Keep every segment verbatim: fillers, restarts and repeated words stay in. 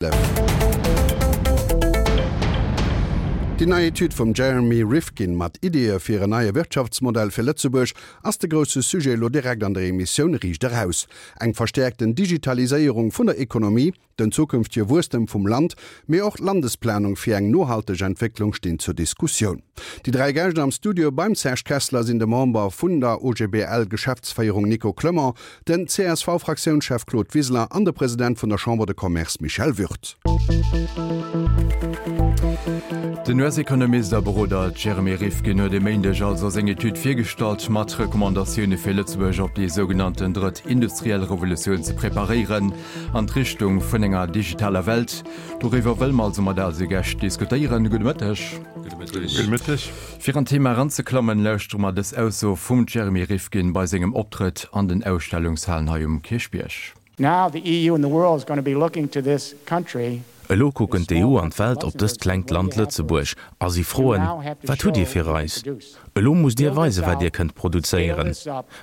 Déi nei Etüd vum Jeremy Rifkin mat Ideeë fir en neie Wirtschaftsmodell fir Lëtzebuerg ass de grousse Sujet elo direkt an der Emissioun Riicht Eraus. Eng verstäerkten Digitaliséierung vun der Ekonomie, den zukünftege Wuesstem vum Land, mee och d'Landesplanung fir eng nohalteg Entwécklung stinn zur Diskussioun. Déi dräi Gäscht am Studio beim Serge Kessler sinn de Member vun der O G B L-Geschäftsféierung Nico Clement, den C S V-Fraktiounschef Claude Wiseler an de President vun der Chambre de Commerce Michel Würth. Den U S-Ekonomist a Beroder Jeremy Rifkin huet e Méindeg also seng Etüd virgestallt mat Recommandatioune fir Lëtzebuerg op déi sougenannten drëtt industriell Revolutioun ze preparéieren an d'Richtung vun enger digitaler Welt. Doriwwer wëlle mer also mat eise Gäscht diskutéieren. Gudde Mëtteg. Gudde Mëtteg. Fir an d'Thema eranzeklammen, lauschtere mer dës Ausso vum Jeremy Rifkin bei sengem Optrëtt an den Ausstellungshalen hei um Kierchbierg. Now the E U and the world is going to be looking to this country. Elo kucken d'E U an d'Welt op dëst klengt Land Lëtzebuerg a si froen, Wat hutt Dir fir eis? Elo musst Dir weisen, wat Dir kënnt produzéieren.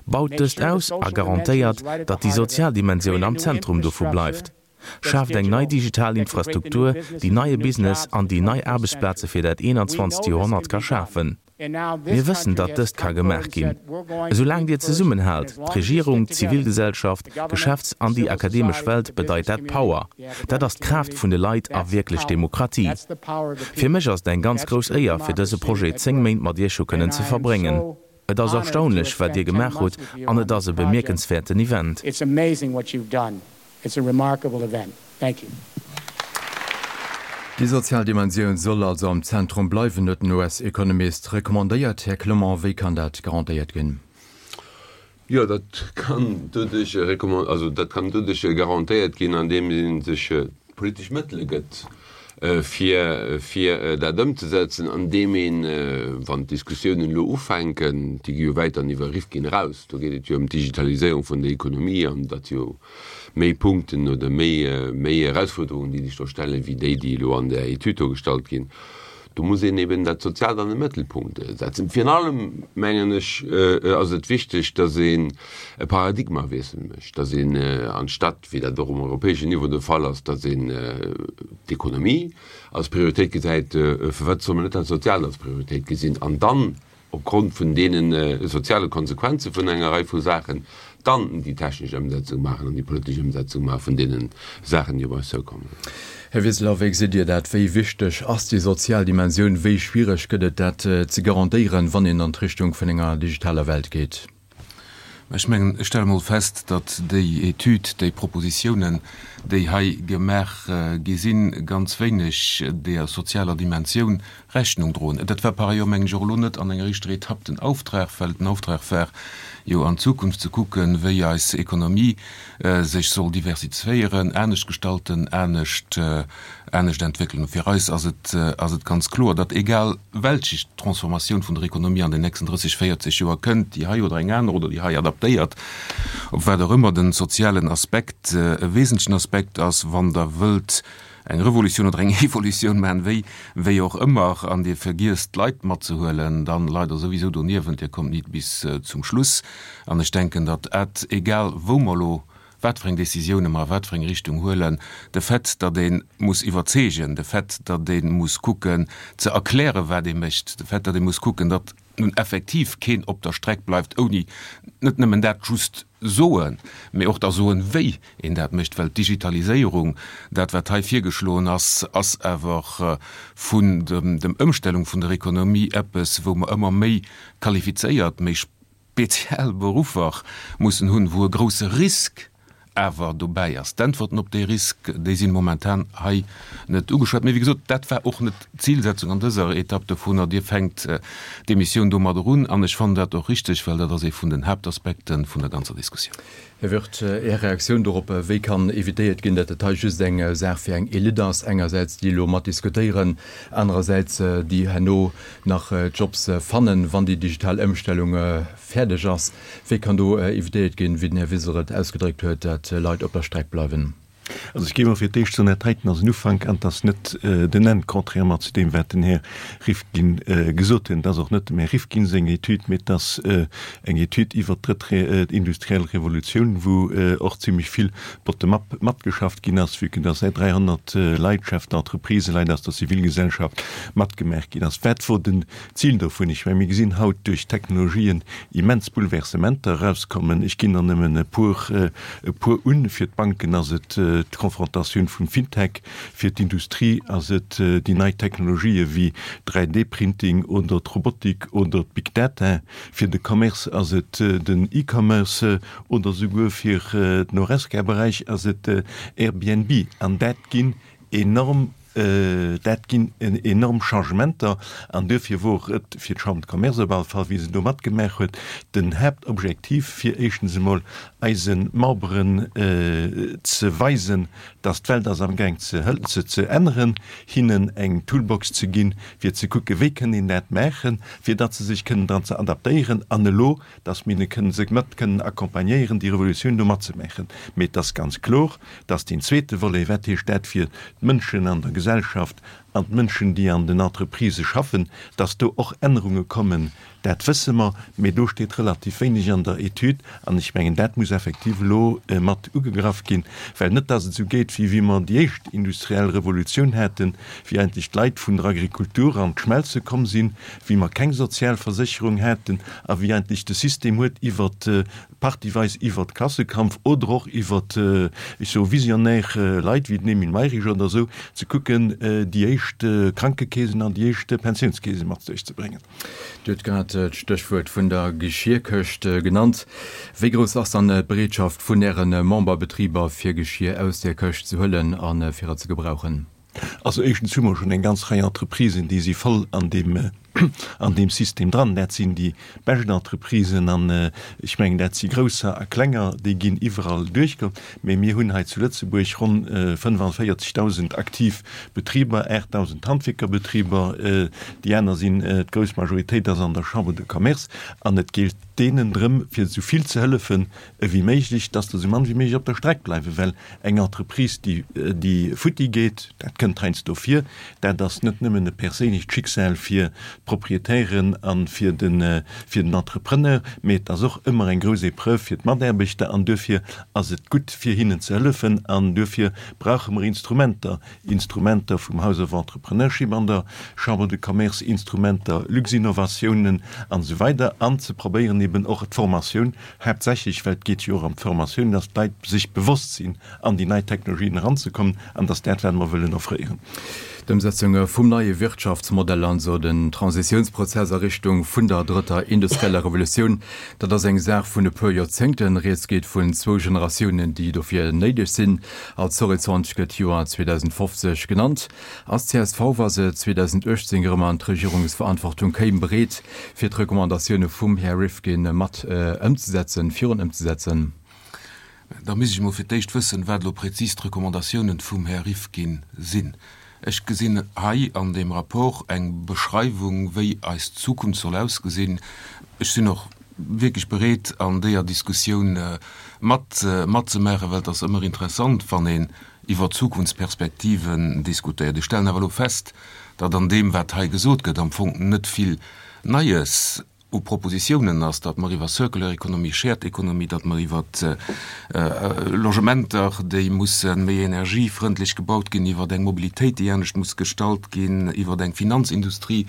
Baut dëst aus a garantéiert, datt déi sozial Dimensioun am Zentrum dovu bleift. Schaaft eng nei digital Infrastruktur, déi neie Business an déi nei Aarbechtsplaze fir dat eenanzwanzegt Joerhonnert ka schafen. Mir wëssen, datt dëst ka gemaach ginn. Esoulaang Dir zesummenhaalt, d'Regierung, d'Zivilgesellschaft, d'Geschäfts an déi akademesch Welt, bedeit dat Power. Dat ass d'Kraaft vun de Leit a wierklech Demokratie. Fir mech ass et eng ganz grouss Éier, fir dëse Projet zéng Méint mat Iech hu kënnen ze verbréngen. Et ass erstaunlech, wat Dir gemaach hutt, an et ass e bemierkenswäerten Event. It's amazing what you've done. It's a remarkable event. Thank you. Déi sozial Dimensioun soll also am Zentrum bleiwen, huet den U S-Ekonomist recommandéiert. Här Clement, wéi kann dat garantéiert ginn? Jo, dat kann doduerch also dat kann doduerch garantéiert ginn, andeem ee sech politesch Mëttele gëtt, fir fir dat ëmzesetzen, andeem een, wann d'Diskussiounen elo ufänken, déi gi jo wäit dann iwwer Rifkin eraus, do geet et jo ëm d'Digitaliséierung vun der Ekonomie an dat jo méi Punkten oder méi méi Erausfuerderungen, déi sech do stellen, wéi déi, déi elo an der Etüd do gestallt ginn. Do muss een eben dat Soziaalt an de Mëttelpunkt setzen. Virun allem, mengen ech, ass et wichteg, datt een e Paradigmawiessel mécht, datt een anstatt, wéi dat och um europäeschen Niveau de Fall ass, datt een d'Ekonomie als Prioritéit gesäit, firwat soll mer net dat Soziaalt als Prioritéit gesinn an dann opgrond vun deene soziale Konsequenze vun enger Rei vu Saachen dann déi technesch Ëmsetzung maachen an déi politesch Ëmsetzung maache vun deene Saachen, déi op eis zoukommen. Här Wiseler, wéi gesitt Dir dat? Wéi wichteg ass déi sozial Dimensioun? Wéi schwiereg gëtt et, dat ze garantéieren, wann een an d'Richtung vun enger digitaler Welt geet? Ech mengen, ech stelle mol fest, datt déi Etüd, déi Propositiounen, déi hei gemaach gi sinn, ganz wéineg der sozialer Dimensioun Rechnung droen. Dat war par ailleurs, mengen ech, och elo net an enger éischter Etapp den Auftrag, well den Auftrag war jo an d'Zukunft ze kucken, wéi eis Ekonomie sech soll diversifiéieren, anescht gestalten, anescht anescht entwéckelen. Fir eis ass et ass et ganz kloer, datt egal welch Transformatioun vun der Ekonomie an den nächsten drësseg, véierzeg Joer kënnt, déi hei oder eng aner oder déi hei adaptéiert, op wat och ëmmer, den sozialen Aspekt e wesentlechen Aspekt ass, wann Der wëllt eng Revolutioun oder eng Evolutioun maachen, wéi wéi och ëmmer, an Dir vergiesst d'Leit matzehuelen, dann leit Der souwisou doniewent, Dir kommt nit bis zum Schluss. An ech denken, datt et, egal wou mer elo wat fir eng Décisioune mer a wat fir eng Richtung huelen, de Fait, datt ee muss iwwerzeegen, de Fait, datt ee muss kucken ze erklären, wat ee mécht, de Fait, datt ee muss kucken, datt nun effektiv keen op der Streck bleift, ouni net nëmmen dat just soen, mee och da soen, wéi een dat mécht, well d'Digitaliséierung, dat wat hei virgeschloen ass, ass awer vun dem Ëmstellung vun der Ekonomie eppes, wou mer ëmmer méi qualifizéiert, méi speziell Beruffer mussen hunn, wou e grouse Risk awer dobäi ass. D'Äntwerten op dee Risk, déi sinn momentan hei net ugeschwat. Mee wéi gesot, dat war och net d'Zilsetzung an dëser Etapp dovunner. Dir fänkt d'Emissioun domadder un an ech fannen dat och richteg, well dat ass ee vun den Haaptaspekte vun der ganzer Diskussioun. Här Wirth, Är Reaktioun dorop, Wéi kann evitéiert ginn, datt et hei just eng Saach fir eng Elite ass, engersäits déi elo mat diskutéieren, anerersäits déi herno nach Jobs fannen, wann déi digital Ëmstellung fäerdeg ass? Wéi kann do evitéiert ginn, wéi den Här Wiseler et ausgedréckt huet, datt Leit op der Streck bleiwen? Also ech géif emol fir d'éischt soen, dat heiten ass en Ufank an et ass net den Enn, contrairement zu deem, wat den Här Rifkin gesot huet. Et ass och net dem Här Rifkin seng Etüd, mee et ass eng Etüd iwwert d'drëtt industriell Revolutioun, wou och zimlech vill bottom-up matgeschafft ginn ass, vue que dass säit dräihonnert Leit, Chefs d'entreprise, Leit aus der Zivilgesellschaft matgemaach ginn ass. Wat wor den Zil dovun? Ech mengen, mir gesinn haut duerch d'Technologien immens Bouleversementer erauskommen. Ech ginn der nëmmen e puer, e puer un. Fir d'Banken ass et d'Konfrontatioun vum Fintech, fir d'Industrie ass et déi nei Technologië wéi dräi D-Printing oder d'Robotik oder d'Big Data, fir de Commerce ass et den E-Commerce oder souguer fir den Horesca-Beräich ass et Airbnb. An dat ginn enorm Dat ginn enorm Changementer an duerfir wor et fir d'Chambre de Commerce op alle Fall, wéi se do matgemaach huet, den Haaptobjektiv, fir éischtens emol eise Memberen ze weisen, dass d'Welt ass amgaang ze ze änneren, hinnen eng Toolbox ze ginn, fir ze kucken, wéi kënn een dat maachen, fir datt se sech kënnen dran ze adaptéieren an elo, dass mir hinne kënnen se mat kënnen accompagnéieren, déi Revolutioun do matzemaachen. Mee et ass ganz kloer, dass deen zweete Volet, wat heescht dat fir d'Mënschen an der Gesellschaft an d'Mënschen, déi an den Entreprisë schaffen, dass do och Ännerunge kommen, dat wësse mer, mee do steet relativ wéineg an der Etüd. An ech mengen, dat muss effektiv elo mat ugegraff ginn, well net dass et esou geet, wéi wéi mer déi éischt industriell Revolutioun haten, wéi eigentlech d'Leit vun der Agrikultur an d'Schmelze komm sinn, wéi mer keng Sozialversécherung haten a wéi eigentlech de System huet iwwert partieweis iwwert Klassekampf oder och iwwert, ech soe visionär Leit wéi den Emile Mayrisch oder esou, ze kucken, déi éischt Krankekeesen an déi éischt Pensiounskeese mat duerchzebréngen. Dir hutt grad d'Stéchwuert vun der Geschierkëscht genannt. Wéi grouss ass dann d'Bereetschaft vun Äre Memberbetriber, fir Geschir aus där Këscht ze huelen a fir et ze gebrauchen? Also éischtens hu mer schonn eng ganz Rei Entreprisen, déi si voll an deem, an deem System dran. Dat sinn déi bescht Entreprisen an ech mengen, dat si grousser a klenger, déi ginn iwwerall duerchge. Mee mir hunn hei zu Lëtzebuerg ronn fënnefanvéierzegdausend aktiv Betriber, aachtdausend Handwierkerbetriber. Déi aner sinn, d'grouss Majoritéit ass an der Chambre de Commerce an et geelt deenen drëm, fir esou vill ze hëllefen ewéi méiglech, dass der esou mann wéi méiglech op der Streck bleiwen, well eng Entreprise, déi, déi futti geet, dat kënnt heiansdo vir, dat ass net nëmmen e perséinlecht Schicksal fir d'Proprietären a fir den, fir den Entrepreneur, mee et ass och ëmmer eng grouss Épreuve fir d'Mataarbechter an duerfir ass et gutt, fir hinnen ze hëllefen an duerfir brauche mer Instrumenter, Instrumenter vum House of Entrepreneurship an der Chambre de Commerce, Instrumenter, Luxinnovatiounen an esou weider an ze probéieren eben och d'Formatioun, haaptsächlech, well et geet jo och ëm d'Formatioun, dass d'Leit sech bewosst sinn, an déi nei Technologien eranzekommen, an dass dat, wat mer wëllen offréieren. D'Ëmsetzung vum neie Wirtschaftsmodell, also den Transitiounsprozess a Richtung vun der drëtter industrieller Revolutioun, dat ass eng Saach vun e puer Joerzéngten. Rieds geet vun zwou Generatiounen, déi dofir néideg sinn. Als Horizont gëtt d'Joer zweedausendfofzeg genannt. Ass d'CSV, wa se zweedausendachtzéng erëm an d'Regierungsverantwortung kéim, bereet, fir d'Recommandatioune vum Här Rifkin mat ëmzesetzen, virun ëmzesetzen? Da misst ech emol fir d'éischt wëssen, wat elo prezis d'Recommandatiounen vum Här Rifkin sinn. Ech gesinn hei an deem Rapport eng Beschreiwung, wéi eis Zukunft soll ausgesinn. Ech sinn och wierklech bereet, an deeër Diskussioun mat matzemaachen, well et ass ëmmer interessant, wann een iwwer Zukunftsperspektiven diskutéiert. Ech stellen awer elo fest, datt an deem, wat hei gesot gëtt, am Fong net vill Neies u Propositiounen ass, datt mer iwwer Circular Economy, Shared Economy, datt mer iwwer Logementer, déi musse méi energiefrëndlech gebaut ginn, iwwer eng Mobilitéit, déi anescht muss gestalt ginn, iwwer eng Finanzindustrie,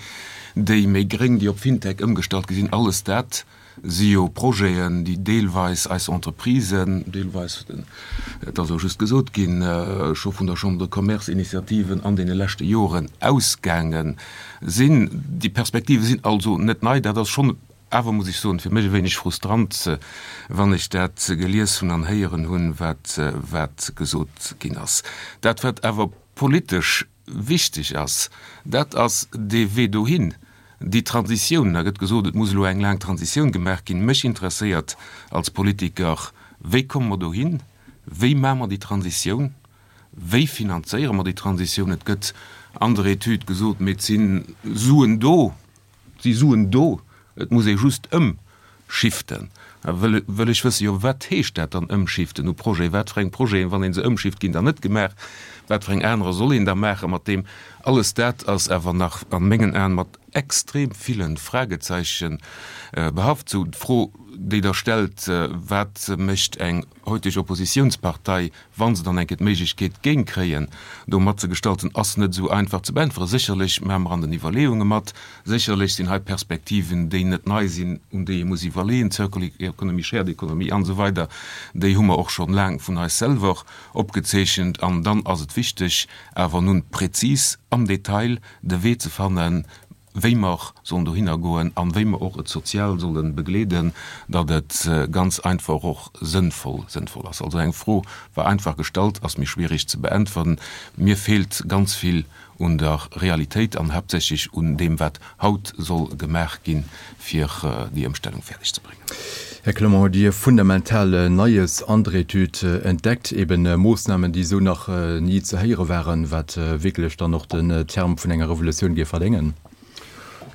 déi méi gréng, déi op Fintech ëmgestallt gi sinn, alles dat si jo Projeten, déi deelweis eis Entreprisen, deelweis, et ass elo just gesot ginn, scho vun der Chambre de Commerce Initiativen an deene leschte Joren ausgaange sinn. Déi Perspektive sinn also net nei. Dat ass schonn awer, muss ech soen, fir mech e wéineg frustrant, wann ech dat gelies hunn an héieren hunn, wat, wat gesot ginn ass. Dat, wat awer politesch wichteg ass, dat ass dee Wee dohin, déi Transitioun. Da gëtt gesot, et muss elo eng laang Transitioun gemaach ginn. Mech interesséiert als Politiker, Wéi komme mer dohin? Wéi maache mer déi Transitioun? Wéi finanzéiere mer déi Transitioun? Et gëtt an der Etüd gesot, mee et si Suen do, et si Suen do, et muss ee just ëmschiften. Wëll, wëll ech wëssen, jo, wat heescht dat dann ëmschiften u Projeten? Wat fir eng Projeten, wann ee se ëmschift, ginn dann net gemaach? Wat fir eng anerer soll een da maache mat deem? Alles dat ass awer nach a mengen Aen mat extrem ville Fragezeichen behaft. Sou d'Fro, déi Der stellt, Wat mécht eng heuteg Oppositiounspartei, wa se dann eng Kéier d'Méiglechkeet géing kréien, do matzegestalten, ass net esou einfach ze beäntweren. Sécherlech maache mer an den Iwwerleeunge mat. Sécherlech sinn hei Perspektiven, déi net nei sinn, un déi ee muss iwwerleeën, Circular Economy, Shared Economy an esou weider, déi hu mer och schonn laang vun eis selwer opgezeechent. An dann ass et wichteg, awer nun prezis am Detail de Wee ze fannen, wéi mer sollen dohinner goen an wéi mer och et sozial solle begleeden, datt et ganz einfach och sënnvoll sënnvoll ass. Also eng Fro war einfach gestallt, ass méi schwierig ze beäntweren. Mir feelt ganz vill un der Realitéit an haaptsächlech un deem, wat haut soll gemaach ginn, fir déi Ëmstellung fäerdeg ze bréngen. Här Clement, hutt Dir fundamental Neies an der Etüd entdeckt, eben Moossnamen, déi esou nach ni ze héiere waren, wat wierklech dann och den Term vun enger Revolutioun géif verdéngen?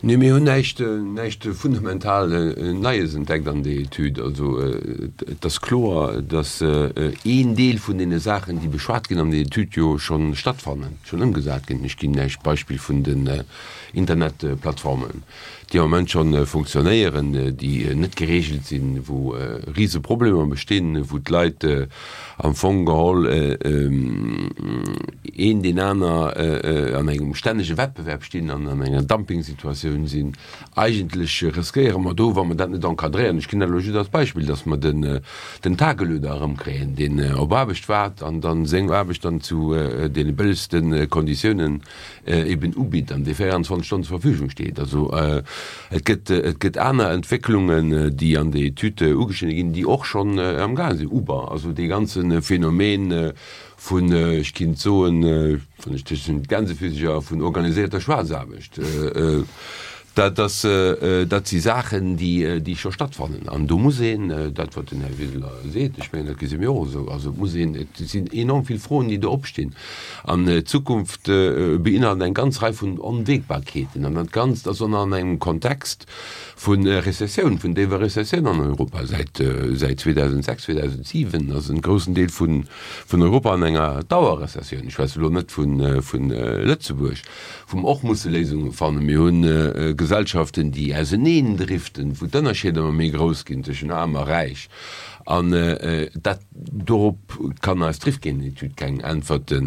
Nee, mir hunn näischt, näischt fundamental Neies entdeckt an där Etüd. Also et ass kloer, datt een Deel vun deene Saachen, déi beschwat ginn an der Etüd, jo scho stattfannen, schonn ëmgesat ginn. Ech ginn Iech d'Beispill vun den Internetplattformen, déi am Moment scho funktionéieren, déi net geregelt sinn, wou rise Problemer bestinn, wou d'Leit am Fong geholl een deen aner an engem stännege Wettbewerb stinn an an enger Dumpingsituatioun sinn. Eigentlech riskéiere mer do, wa mer dat net encadréieren, ech ginn dat elo just als Beispill, datt mer den Tagelöhner erëmkréien, deen op Aarbecht waart an dann seng Aarbecht dann zu deene bëllegste Konditiounen eben ubitt an dee véierundzwanzeg Stonnen zur Verfügung steet. Also et gëtt, et gëtt aner Entwécklungen, déi an der Etüd ugeschnidde ginn, déi och schonn am gaange sinn, Uber, also dee ganze Phänomen vun, ech kinnt soen, wann ech tëschent Gänsefüsecher, vun organiséierter Schwaarzaarbecht. Dat ass, dat si Saachen, déi, déi scho stattfannen. An do muss een, dat wat den Här Wiseler seet, ech mengen, dat gesi mir och esou, also et muss een, et sinn enorm vill Froen, déi do opstinn. An d'Zukunft beinhalt eng ganz Rei vun Onwägbarkeeten. An dat Ganzt ass och nach an engem Kontext vu Rezessioun, vun déiwer Rezessioun an Europa. Säit, säit zweedausendsechs, zweedausentsiwen ass en groussen Deel vun, vun Europa an enger Dauerrezessioun. Ech schwätze elo net vun, vun Lëtzebuerg. Wou mer och musse Léisunge fannen. Mir hu Gesellschaften, déi auseneen driften, wou d'Ënnerscheeder ëmmer méi grouss ginn tëschent Aarm a Räich. An dat, dorop kann eis d'Rifkin-Etüd keng Äntwerte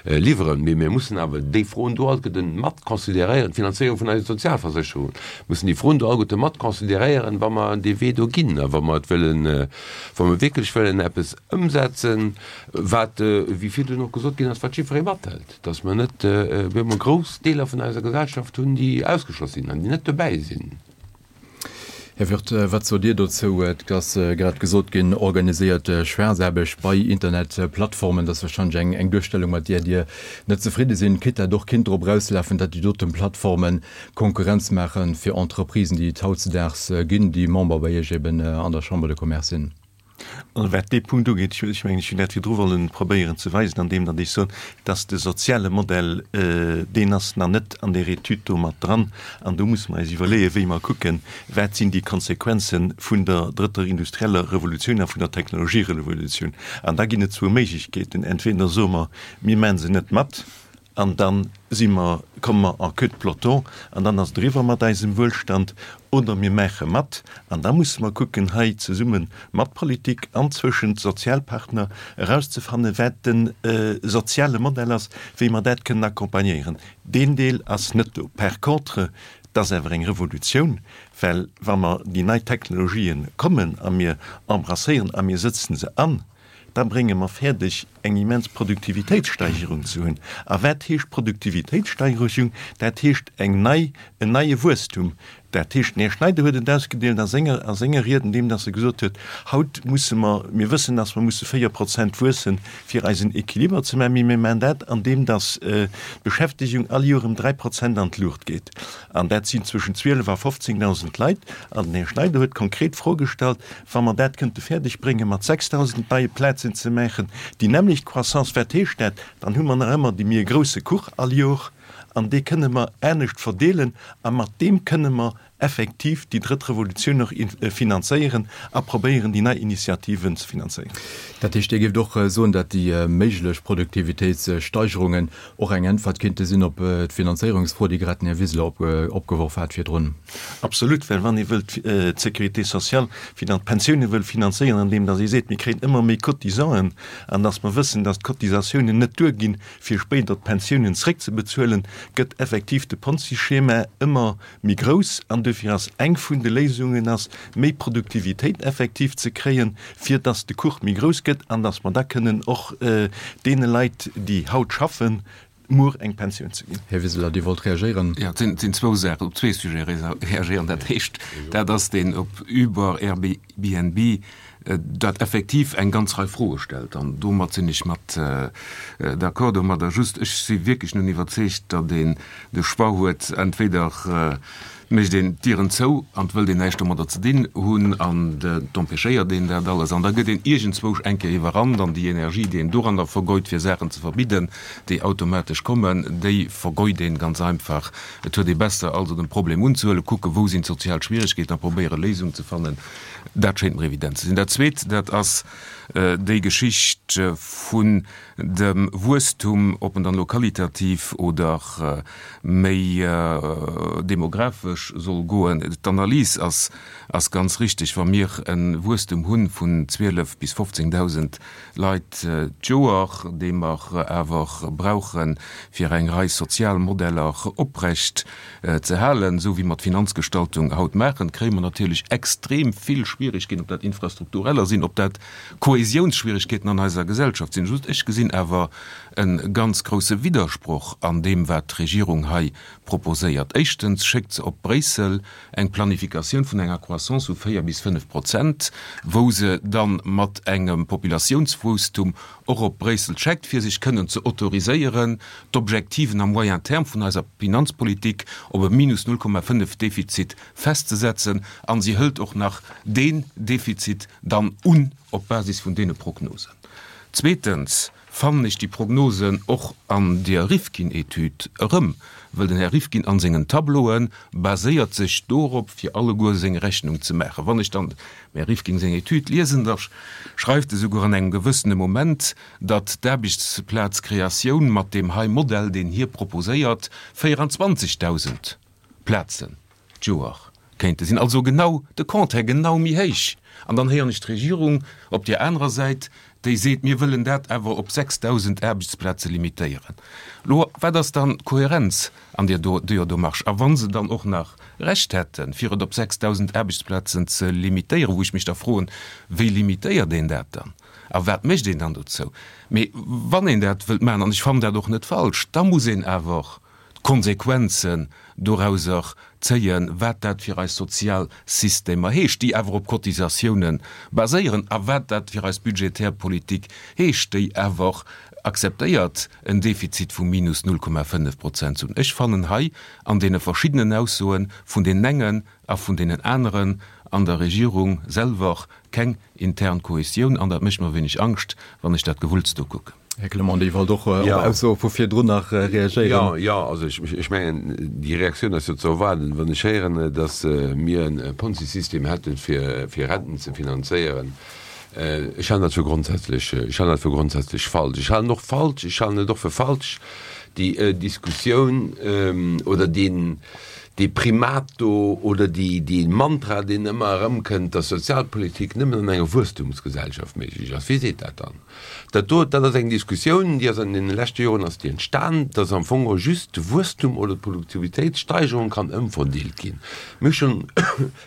liwweren. Mee mir mussen awer déi Froen do alleguerte mat consideréieren, d'Finanzéierung vun eise Sozialversécherungen, mussen déi Froen do alleguerte mat consideréieren, wa mer dee Wee do ginn a wa mer et wëllen, wa mer wierklech wëllen eppes ëmsetzen, wat, wéi virdrun och gesot ginn ass, wat jiddweree mathëlt, dass mer net op eemol grouss Deeler vun eiser Gesellschaft hunn, déi ausgeschloss sinn an déi net dobäi sinn. Här Wirth, wat sot Dir dozou? Et ass grad gesot ginn, organiséiert Schwaarzaarbecht bei Internetplattformen, dat ass warscheinlech eng Duerstellung, mat där Dir net zefridde sinn. Kritt dat och kinnt drop erauslafen, datt déi doten Plattformen Konkurrenz maache fir Entreprisen, déi et hautzedaags ginn, déi Member bei Iech eben an der Chambre de Commerce sinn? Also wat dee Punkt ugeet, ech mengen, ech hunn dat virdru wollen probéieren ze weisen, andeem datt ech soen, datt de soziale Modell, deen ass nach net an där Etüd do mat dran. An do musse mer eis iwwerleeën, wéi mer kucken, wat sinn déi Konsequenze vun der drëtter industrieller Revolutioun a vun der Technologierevolutioun. An da ginn et zwou Méiglechkeeten, Entweder soe mer, mir maache se net mat, An da si mer, komme mer en queue de peloton an dann ass et eriwwer mat eisem Wuelstand. Oder mir maache mat an da musse mer kucken, hei zesumme mat Politik an zwëschent Sozialpartner erauszefannen, wat de soziale Modell ass, wéi mer dat kënnen accompagnéieren. Deen Deel ass net do. Par contre, et ass awer eng Revolutioun, well wa mer déi nei Technologien kommen a mir embrasséieren a mir sëtzen se an, da brénge mer fäerdeg, eng immens Produktivitéitssteigerung ze hunn. A wat heescht Produktivitéitssteigerung? Dat heescht eng nei, en neie Wuesstum. Dat heescht, den Här Schneider huet et ausgedeelt a senger, a senger Ried, andeem dass e gesot huet, Haut musse mer, mir wëssen, dass mer musse véier Prozent wuessen, fir eisen Equiliber ze maachen, mee mir maachen dat, andeem dass d'Beschäftegung all Joer ëm dräi Prozent an d'Luucht geet. An dat sinn zwëschen zwielef a fofzéngdausend Leit. An den Här Schneider huet konkret d'Fro gestallt, Wa mer dat kënnte fäerdeg bréngen, mat sechsdausend neie Plazen ze maachen, déi nämmlecht Croissance, wat heescht dat? Dann hu mer nach ëmmer dee méi e grousse Kuch all Jor an dee kënne mer anescht verdeelen a mat deem kënne mer effektiv déi drëtt Revolutioun och finanzéieren a probéieren, déi nei Initiativen ze finanzéieren. Dat heescht, Dir géift och soen, datt déi méiglech Produktivitéitssteigerungen och eng Äntwert kéinte sinn op d'Finanzéierungsfro, déi grad den Här Wiseler opgeworf hat virdrun? Absolut, well wann ee wëllt d'Sécurité sociale, d'Pensioune wëll finanzéieren, andeem datt ee seet, mir kréien ëmmer méi Cotisanten an datt mer wëssen, datt d'Cotisatiounen net duerginn, fir spéider d'Pensiounen zréckzebezuelen, gëtt effektiv de Ponzi-Schema ëmmer méi grouss. An dofir ass eng vun de Léisungen ass, méi Produktivitéit effektiv ze kréien, fir datt de Kuch méi grouss gëtt an datt mer da kënnen och deene Leit, déi haut schaffen, muer eng Pensioun ze ginn. Här Wiseler, Dir wollt reagéieren. Jo, et sinn zwou Saachen, op zwee Sujete reagéieren. Dat éischt, dat ass deen op Uber, Airbnb, dat effektiv eng ganz Rei Froe stellt. An domat sinn ech mat d'accord domadder. Just, ech si wierklech nun iwwerzeegt, datt een de Choix huet, entweder mécht een d'Dieren zou an 't wëllt een näischt domadder ze dinn hunn an 't empêchéiert een dat alles an da gëtt een iergendzwousch eng Kéier iwwerrannt an déi Energie, déi een doranner vergeut fir Saachen ze verbidden, déi automatesch kommen, déi vergeut een ganz einfach. Et huet ee besser also den Problem unzehuelen, kucken, wou sinn d'sozial Schwieregkeeten a probéieren Léisungen ze fannen. Dat schéint mer evident ze sinn. Dat Zweet, dat ass déi Geschicht vun dem Wuesstum, ob en dann elo qualitativ oder méi demografesch soll goen. D'Analys ass ass ganz richtig. Wa mir e Wuesstum hu vun zwielef bis fofzéngdausend Leit d'Joer, dee mer awer brauche fir eng Rei sozial Modeller oprecht ze halen, esou wéi mer d'Finanzgestaltung haut maachen, kréie mer natierlech extrem vill Schwierigkeeten, ob dat infrastruktureller sinn, ob dat Kohäsiounsschwierigkeeten an eiser Gesellschaft sinn. Just, ech gesinn awer e ganz grouse Widdersproch an deem, wat d'Regierung hei proposéiert. Éischtens schéckt se op Bréissel eng Planifikatioun vun enger Croissance vu véier bis fënnef Prozent, wou se da mat engem Populatiounswuesstum och op Bréissel scheckt, fir sech kënnen ze autoriséieren, d'Objektiven à moyen terme vun eiser Finanzpolitik op e minus null Komma fënnef Defizit festzesetzen. A si hëlt och nach deen Defizit dann un op Basis vun deene Prognosen. Zweetens fannen ech déi Prognosen och an deer Rifkin-Etüd erëm, wëll den Här Rifkin a sengen Tableaue baséiert sech dorop, fir alleguer seng Rechnung ze maachen. Wann ech dann dem Här Rifkin seng Etüd liesen, da schreift e souguer an engem gewëssene Moment, datt d'Aarbechtsplazkreatioun mat deem hei Modell, deen hie proposéiert, véieranzwanzegdausend Plazen d'Joer kéinte sinn. Also genau de Contraire, genau méi héich. An dann héieren ech d'Regierung op deer anerer Säit, déi seet, mir wëllen dat awer op sechsdausend Aarbechtsplaze limitéieren. Lo, wat ass dann d'Kohärenz an deer do Demarche? A wa se dann och nach Recht hätten, fir et op sechsdausend Aarbechtsplazen ze limitéieren, wou ech mech da froen, wéi limitéiert een dat dann a wat mécht een dann dozou? Mee wann een dat wëllt maachen, an ech fannen dat och net falsch, da muss een awer d'Konsequenzen dorauser zéien, wat dat fir eis sozial Systemer heescht, déi awer op Cotisatiounen baséieren, a wat dat fir eis budgetär Politik heescht, déi awer akzeptéiert, en Defizit vu minus null Komma fënnef Prozent ze hunn. Ech fannen hei an deene verschiddenen Aussoe vun deenen engen a vun deenen aneren an der Regierung selwer keng intern Kohesioun, an dat mécht mer e wéineg Angscht, wann ech dat Gewulls do kucken. Här Clement, Dir wollt och op Aussoe vu virdrun nach reagéieren. Jo, jo, also ech mengen, déi Reaktioun ass jo ze erwaarden, wann ech héieren, datt mir e Ponzi-System hätten, fir Renten ze finanzéieren. Ech halen dat fir grondsätzlech, ech halen dat fir grondsätzlech falsch. Ech halen och falsch, ech halen et och fir falsch, déi Diskussioun oder deen, dee Primat do oder déi, dee Mantra, deen ëmmer erëmkënnt, datt Sozialpolitik nëmmen an enger Wuesstumsgesellschaft méiglech ass. Wie seet dat dann? Dat do, dat ass eng Diskussioun, déi ass an deene leschte Joren ass déi entstan, datt am Fong just de Wuesstum oder d'Produktivitéitssteigerung kann ëmverdeelt ginn. Mir hu schonn,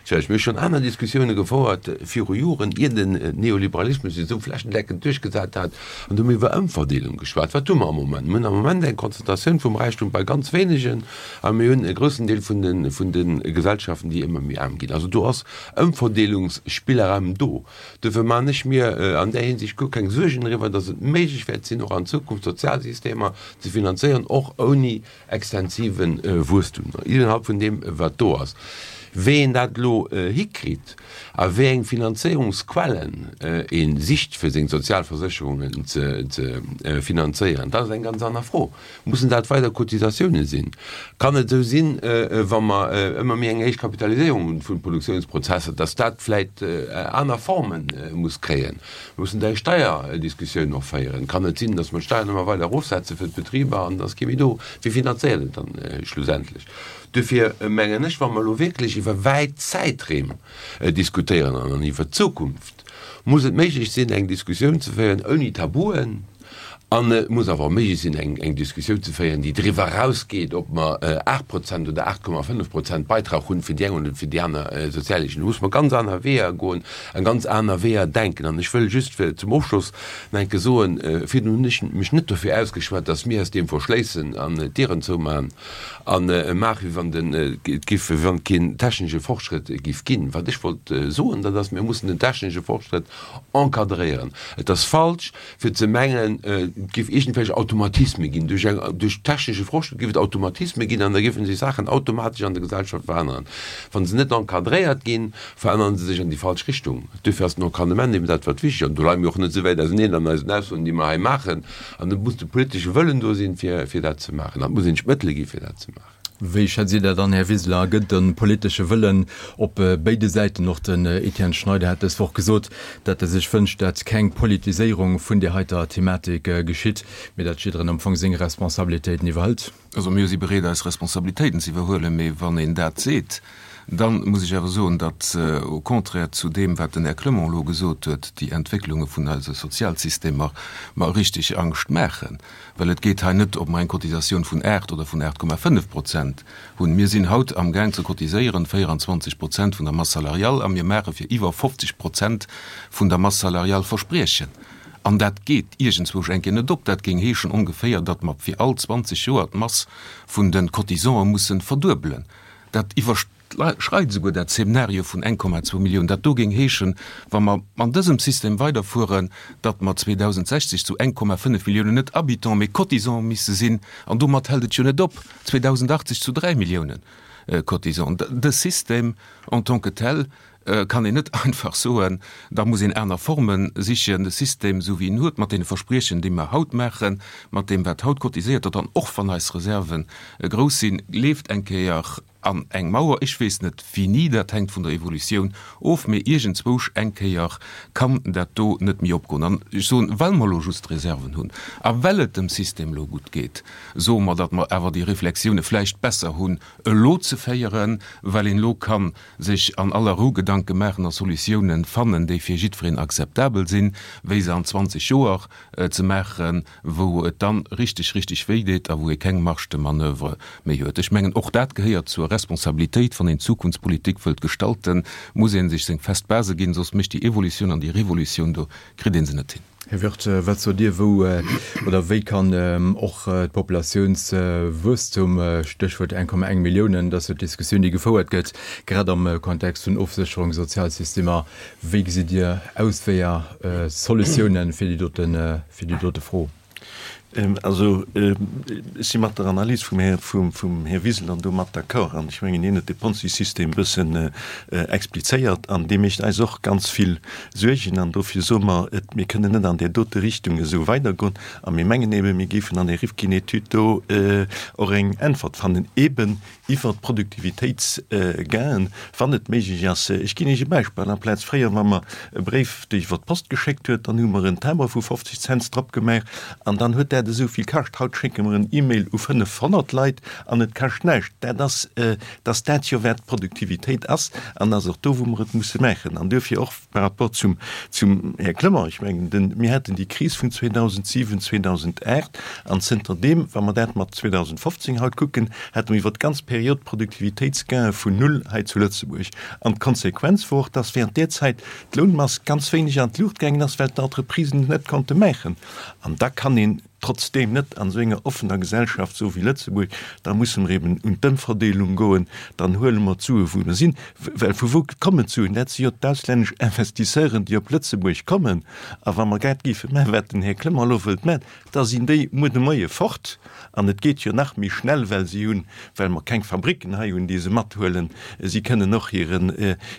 Tja, ech hu schonn aner Diskussioune gefouert viru Joren, ier den Neoliberalismus sech esou flächendeckend duerchgesat hat, an do hu mir iwwer Ëmverdeelung geschwat. Wat hu mer am Moment? Mir hunn am Moment eng Konzentratioun vum Räichtum bei ganz wéinegen a mir hunn e groussen Deel vun de, vun de Gesellschaften, déi ëmmer méi aarm ginn. Also do ass Ëmverdeelungsspillraum do. Dofir maachen ech mir an där Hinsicht guer keng Suergen eriwwer, datt et méiglech wäert sinn, och an Zukunft Sozialsystemer ze finanzéieren, och ouni extensive Wuesstum innerhalb vun deem, wat do ass. Wéi een dat elo hikritt a wéi eng Finanzéierungsquellen ee sicht, fir seng Sozialversécherungen ze finanzéieren, dat ass eng ganz aner Fro. Mussen dat weider Cotisatiounen sinn? Kann et esou sinn, wa mer ëmmer méi eng héich Kapitaliséierung hunn vun Produktiounsprozesser, dass dat vläicht aner Forme muss kréien? Mir mussen da eng Steierdiskussioun och féieren. Kann et sinn, dass mer d'Steiern ëmmer weider erofsetze fir d'Betriber an et ass kee méi do? Wie finanzéiert et dann schlussendlech? Duerfir mengen ech, wa mer elo wierklech iwwer wäit Zäitreem diskutéieren an iwwer d'Zukunft, muss et méiglech sinn, eng Diskussioun ze féieren ouni Tabuen. An et muss awer och méiglech sinn, eng Diskussioun ze féieren, déi driwwer erausgeet, ob mer aacht Prozent oder aacht Komma fënnef Prozent Beitrag hunn fir déi eng oder fir déi aner Sozialleeschtung. Do muss mer ganz aner Weeër goen a ganz aner Weeër denken. An ech wëll just fir zum Ofschloss nach eng Kéier soen, Virdrun hunn ech mech net dofir ausgeschwat, dass mir eis deem verschléissen an d'Dieren zoumaachen a maachen, wéi wann den, et giff, wéi wann et keen technesche Fortschrëtt giff ginn. Wat ech wollt soen, dat ass, mir mussen den technesche Fortschrëtt encadréieren. Et ass falsch, fir ze mengen, et géif iergendwelch Automatisme ginn. Duerch eng, duerch technesche Fortschrëtt géif et Automatisme ginn an da géife sech Saachen automatesch an der Gesellschaft veränneren. Wa se net encadréiert ginn, verännere se sech an déi falsch Richtung. Duerfir ass den Encadrement eben dat, wat wichteg ass. An do leie mir och net esou wäit auseneen an eisen Aussoen, déi mer hei maachen. An et muss de politesche Wëllen do sinn, fir, fir dat ze maachen. An et muss een sech d'Mëttele gi fir dat ze maachen. Wéi schätzt Dir dat an, Här Wiseler? Gëtt et e politesche Wëllen op béide Säiten? Och den Etienne Schneider hat dës Woch gesot, datt e sech wënscht, datt keng Politiséierung vun där heiter Thematik geschitt, mee datt jiddereen am Fong seng Responsabilitéiten iwwerhëlt. Also mir si bereet, eis Responsabilitéiten ze iwwerhuelen, mee wann een dat seet, da muss ech awer soen, datt au contraire zu deem, wat den Här Clement elo gesot huet, déi Entwécklunge vun eise Sozialsystemer mer richteg Angscht maachen. Well et geet hei net, ob mer eng Cotisatioun vun aacht oder vun aacht Komma fënnef Prozent hunn. Mir sinn haut amgaang ze cotiséieren véierundzwanzeg Prozent vun der Masse salariale a mir maache fir iwwer fofzeg Prozent vun der Masse salariale Verspriechen. An dat geet iergendzwousch eng Kéier net op. Dat géing heeschen ongeféier, datt mer fir all zwanzeg Joer d'Mass vun de Cotisante mussen verduebelen. Dat iwwerschreit esouguer dat Szenario vun eng Komma zwou Millioun. Dat do géing heeschen, wa mer an dësem System weiderfueren, datt mer zweedausendsechzeg zu eng Komma fënnef Milliounen net Habitants, mee Cotisants misse sinn. An domat hält et jo net op, zweedausendachtzeg zu dräi Milliounen Cotisants. Dës System en tant que tel kann een net einfach soen, da muss een aner Forme sichen. De System, esou wéi en huet, mat deene Verspriechen, déi mer haut maachen, mat deem, wat haut cotiséiert gëtt, an och wann eis Reserve grouss sinn, leeft eng Kéier an eng Mauer. Ech weess net wéini, dat hänkt vun der Evolutioun of, mee iergendzwousch eng Kéier kann dat do net méi opgoen. An ech soen, well mer elo just Reserven hunn a well et dem System elo gutt geet, soe mer, datt mer awer déi Reflexioune vläicht besser hunn elo ze féieren, well een elo ka sech an aller Rou Gedanke maachen a Solutiounen fannen, déi fir jiddwereen akzeptabel sinn, wéi se an zwanzeg Joer ze maachen, wou et dann richteg, richteg wéi deet a wou ee keng Marge de manoeuvre méi huet. Ech mengen, och dat gehéiert zur Responsabilitéit. Wann een Zukunftspolitik wëllt gestalten, muss ee sech seng fest Base ginn, soss mécht déi Evolutioun an déi Revolutioun do, kritt ee se net hin. Här Wirth, wat sot Dir, wou oder wéi kann och d'Populatiounswuesstum, Stéchwuert eng Komma eng Milliounen, dat ass jo d'Diskussioun, déi gefouert gëtt, grad am Kontext vun Ofsécherung, Sozialsystemer, wéi gesitt Dir Ausweeër, Solutiounen fir déi dote, fir déi dote Fro? Also ech si mat der Analys vum Här, vum Här Wiseler do mat d'accord. An ech mengen, hien huet de Ponzi-System e bëssen explizéiert an dee mécht eis och ganz vill Suergen. An dofir soe mer, et, mir kënnen net an där dote Richtung esou weidergoen. A mir mengen eben, mir géifen an där Rifkin-Etüd do och eng Äntwert fannen, eben iwwert d'Produktivitéitsgainen, wann et méiglech ass. Ech ginn Iech e Beispill, Amplaz fréier, wa mer e Bréif iwwer d'Post geschéckt huet, dann hu mer en Timbre vu fofzeg Cents drop gemaach an dann huet dat esou vill kascht. Haut schécke mer en E-Mail u fënnefhonnert Leit an et kascht näischt. Dat ass, dass dat jo wat d'Produktivitéit ass an ass och do, wou mer et musse maachen. An duerfir och par rapport zum, zum Här Clement, ech mengen, den, mir haten déi Kris vun zweedausentsiwen, zweedausenaacht an zënter deem, wa mer dat mat zweedausendfofzéng haut kucken, hate mer iwwert d'ganz Period Produktivitéitsgaine vun null hei zu Lëtzebuerg. An d'Konsequenz wor och, dass während där Zäit d'Lounmass ganz wéineg an d'Luucht gaangen ass, well d'Entreprisen et net konnte maachen. An da kann een trotzdeem net an esou enger offener Gesellschaft esou wéi Lëtzebuerg, da musse mer eben un d'Ëmverdeelung goen, dann huele mer d'Sue wou mer sinn, well vu wou kommen d'Suen? Dat si jo d'auslännesch Investisseuren, déi op Lëtzebuerg kommen. A wa mer grad géife maachen, wat den Här Clement elo wëllt maachen, da sinn déi muer de Moie fort. An et geet jo nach méi schnell, well si hunn, well mer keng Fabricken hei hunn, déi se mathuelen, si kënnen och hiren,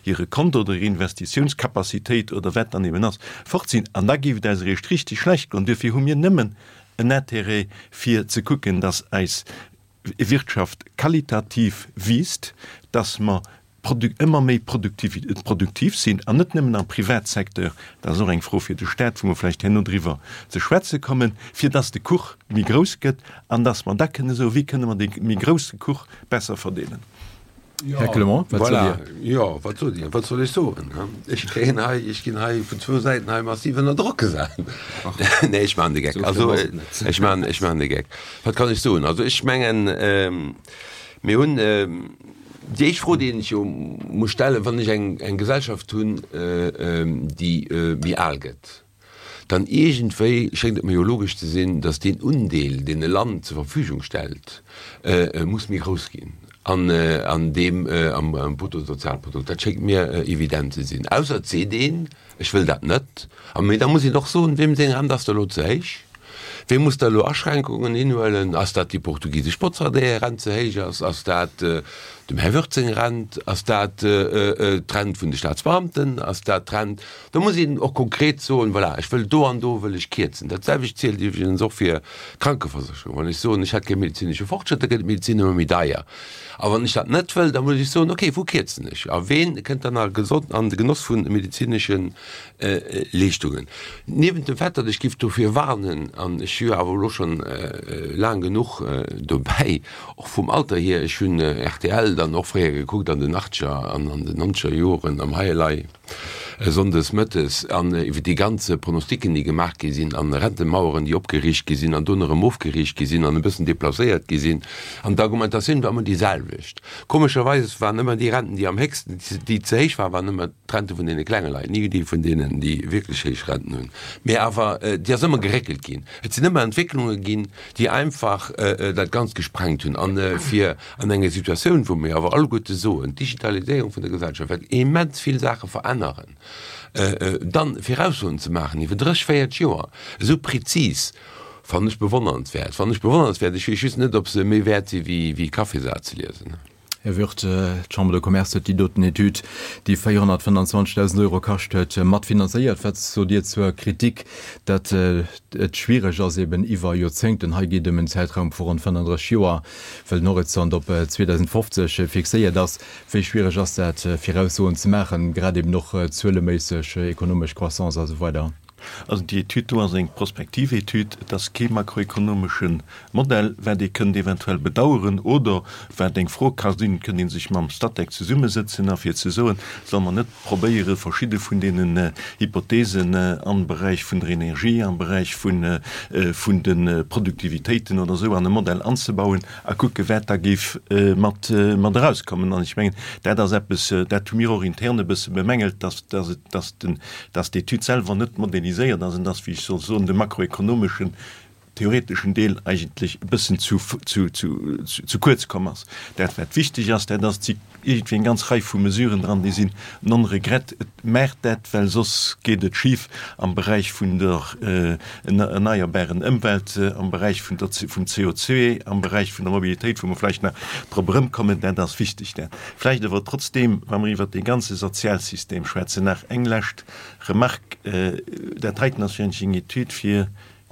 hire Konto oder hir Investitiounscapacitéit oder wat dann eben ass, fort sinn. An da géif et eis eréischt richtig schlecht goen. Duerfir hu mir nëmmen en Intérêt, fir ze kucken, dass eis Wirtschaft qualitativ wiisst, dass mer ëmmer méi produktiv sinn, an net nëmmen am Privatsecteur, dat ass och eng Fro fir de Stat, wou mer vläicht herno driwwer ze schwätze kommen, fir dass de Kuch méi grouss gëtt an dass mer da kënne soen, wéi kënne mer dee méi grousse Kuch besser verdeelen. Här Clement, wat sot Dir? Jo, wat sot Dir? Wat soll ech soen? Ech kréien hei, ech ginn hei vun zwou Säiten hei massiv ënner Drock gesat. Nee, ech maachen de Geck. Also, ech maachen, ech maachen de Geck. Wat kann ech soen? Also, ech mengen, mir hunn déi éischt Fro, déi een sech jo muss stellen, wann ech eng, eng Gesellschaft hunn, déi méi al gëtt, dann iergendwéi schéngt et mir jo logesch ze sinn, datt deen Undeel, deen e Land zur Verfügung stellt, muss méi grouss ginn an an deem am Bruttosozialprodukt. Dat schéngt mir evident ze sinn. Ausser et seet een, ech wëll dat net. A mee da muss een och soen, weem seng Rent ass da elo ze héich? Wee muss da elo Aschränkungen hinhuelen? Ass dat déi portugisesch Botzer, där hir Rent ze héich ass? Ass dat dem Här Wirtz seng Rent? Ass dat d'Rent vun de Staatsbeamten? Ass dat d'Rent? Do muss een och konkret soen, voilà, ech wëll do an do wëll ech kierzen. Dat selwecht zielt iwwregens och fir d'Krankeversécherung. Wann ech soen, ech hätt gär medezinesche Fortschrëtt, da gëtt d'Medezin ëmmer méi deier. A wann ech dat net wëll, da muss ech soen, okay, wou kierzen ech? A ween kënnt dann an de Genoss vu medezinesche Leeschtungen? Niewent dem Fait, datt ech giff dofir warnen, an ech si jo awer elo schonn laang genuch dobäi, och vum Alter hier, ech hunn rtl dann och fréier gekuckt an den Achtger an an den Nonzeger Joren am Hei Elei sonndes mëttes, an iwwer déi ganze Pronosticken, déi gemaach gi sinn, an Rentemaueren, déi opgeriicht gi sinn an dunn erëm ofgeriicht gi sinn an e bëssen deplacéiert gi sinn, an d'Argumentatioun war ëmmer déi selwecht. Komescherweis waren ëmmer déi Renten, déi am héchsten, déi ze héich waren, waren ëmmer d'Rente vun deene klenge Leit, ni déi vun deenen, déi wierklech héich Renten hunn, mee awer déi ass ëmmer geréckelt ginn. Et sinn ëmmer Entwécklunge ginn, déi einfach dat Ganzt gesprengt hunn. An fir an enger Situatioun, wou mir awer alleguerte soen, d'Digitaliséierung vun der Gesellschaft wäert immens vill Saache veränneren, dann Viraussoen ze maachen iwwer dréch, véierteg Joer, esou prezis, fannen ech bewonnernswäert. Fannen ech bewonnernswäert. Ech weess just net, ob se méi wäert si wéi Kaffisaz ze liesen. Här Wirth, d'Chambre de Commerce huet déi doten Etüd, déi véierhonnertfënnanzwanzegdausend Euro kascht huet, matfinanzéiert. Wat sot Dir zur Kritik, datt et schwiereg ass, eben iwwer Joerzéngten, hei geet ëm en Zäitraum vu ronn fënnanddrësseg Joer, well den Horizont op zweedausendfofzeg fixéiert ass, wéi schwiereg ass dat, Viraussoen ze maachen, grad eben och zueleméisseg, ekonomesch Croissance a sou weider? Also déi Etüd do ass eng prospektiv Etüd, et ass kee makroekonomesche Modell, wat ee kënnt eventuell bedauern oder wat eng Fro ka sinn, kënnt ee sech mam Statec zesummesëtzen a fir ze soen, solle mer net probéiere verschidde vun deenen Hypothesen am Beräich vun der Energie, am Beräich vun vun de Produktivitéiten oder esou an e Modell anzebauen a kucke wat da géif mat mat erauskommen. An ech mengen, dat ass eppes, dat hu mir och intern e bësse bemängelt, dass dass et dass den dass d'Etüd selwer net modelliséiert ass an dass, wéi ech soll soen, de makroekonomeschen theoreteschen Deel eigentlech e bëssen zu, zu, zu, zu kuerz komm ass. Dat, wat wichteg ass, dat ass, et si iergendwéi eng ganz Rei vu Mesuren dran, déi sinn non regret. Et maacht dat, well soss geet et schif am Beräich vun der erneierbaren Ëmwelt, am Beräich vun der, vum C O zwee, am Beräich vun der Mobilitéit, wou mer vläicht nach drop erëmkommen. Dat ass wichteg. Dat vläicht awer trotzdeem, wa mer iwwert dee ganze Sozialsystem schwätzen, nach eng lescht Remarque, Dat heiten ass jo eigentlech eng Etüd fir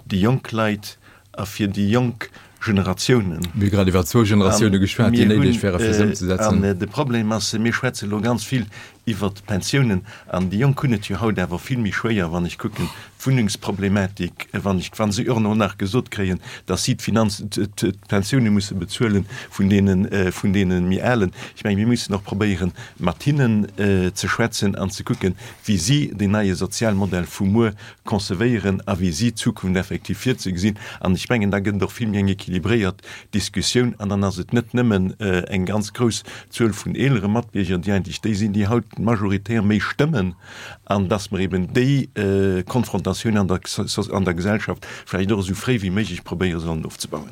déi jonk Leit a fir déi jonk Generatiounen. Mir hu grad iwwer zwou Generatioune geschwat, déi néideg wäre fir se ëmzesetzen. An de Problem ass, mir schwätze elo ganz vill iwwert d'Pensiounen, an déi Jonk hunn et jo haut awer vill méi schwéier, wann ech kucken, d'Wunnengsproblematik, wann ech, wa se och elo nach gesot kréien, datt si d'Finanz, d'Pensioune musse bezuelen vun deene, vun deene méi Alen. Ech mengen, mir mussen och probéieren, mat hinnen ze schwätzen an ze kucken, wéi si deen neie Sozialmodell vu muer concevéieren a wéi si d'Zukunft effektiv virzegesinn. An ech mengen, da gëtt et och vill méi eng équilibréiert Diskussioun an dann ass et net nëmmen eng ganz grouss Zuel vun eelere Matbierger, déi eigentlech déi sinn, déi haut majoritär méi stëmmen, an dass mer eben déi Konfrontatioun an der an der Gesellschaft vläicht och esou fréi wéi méiglech probéiere sollen ofzebauen.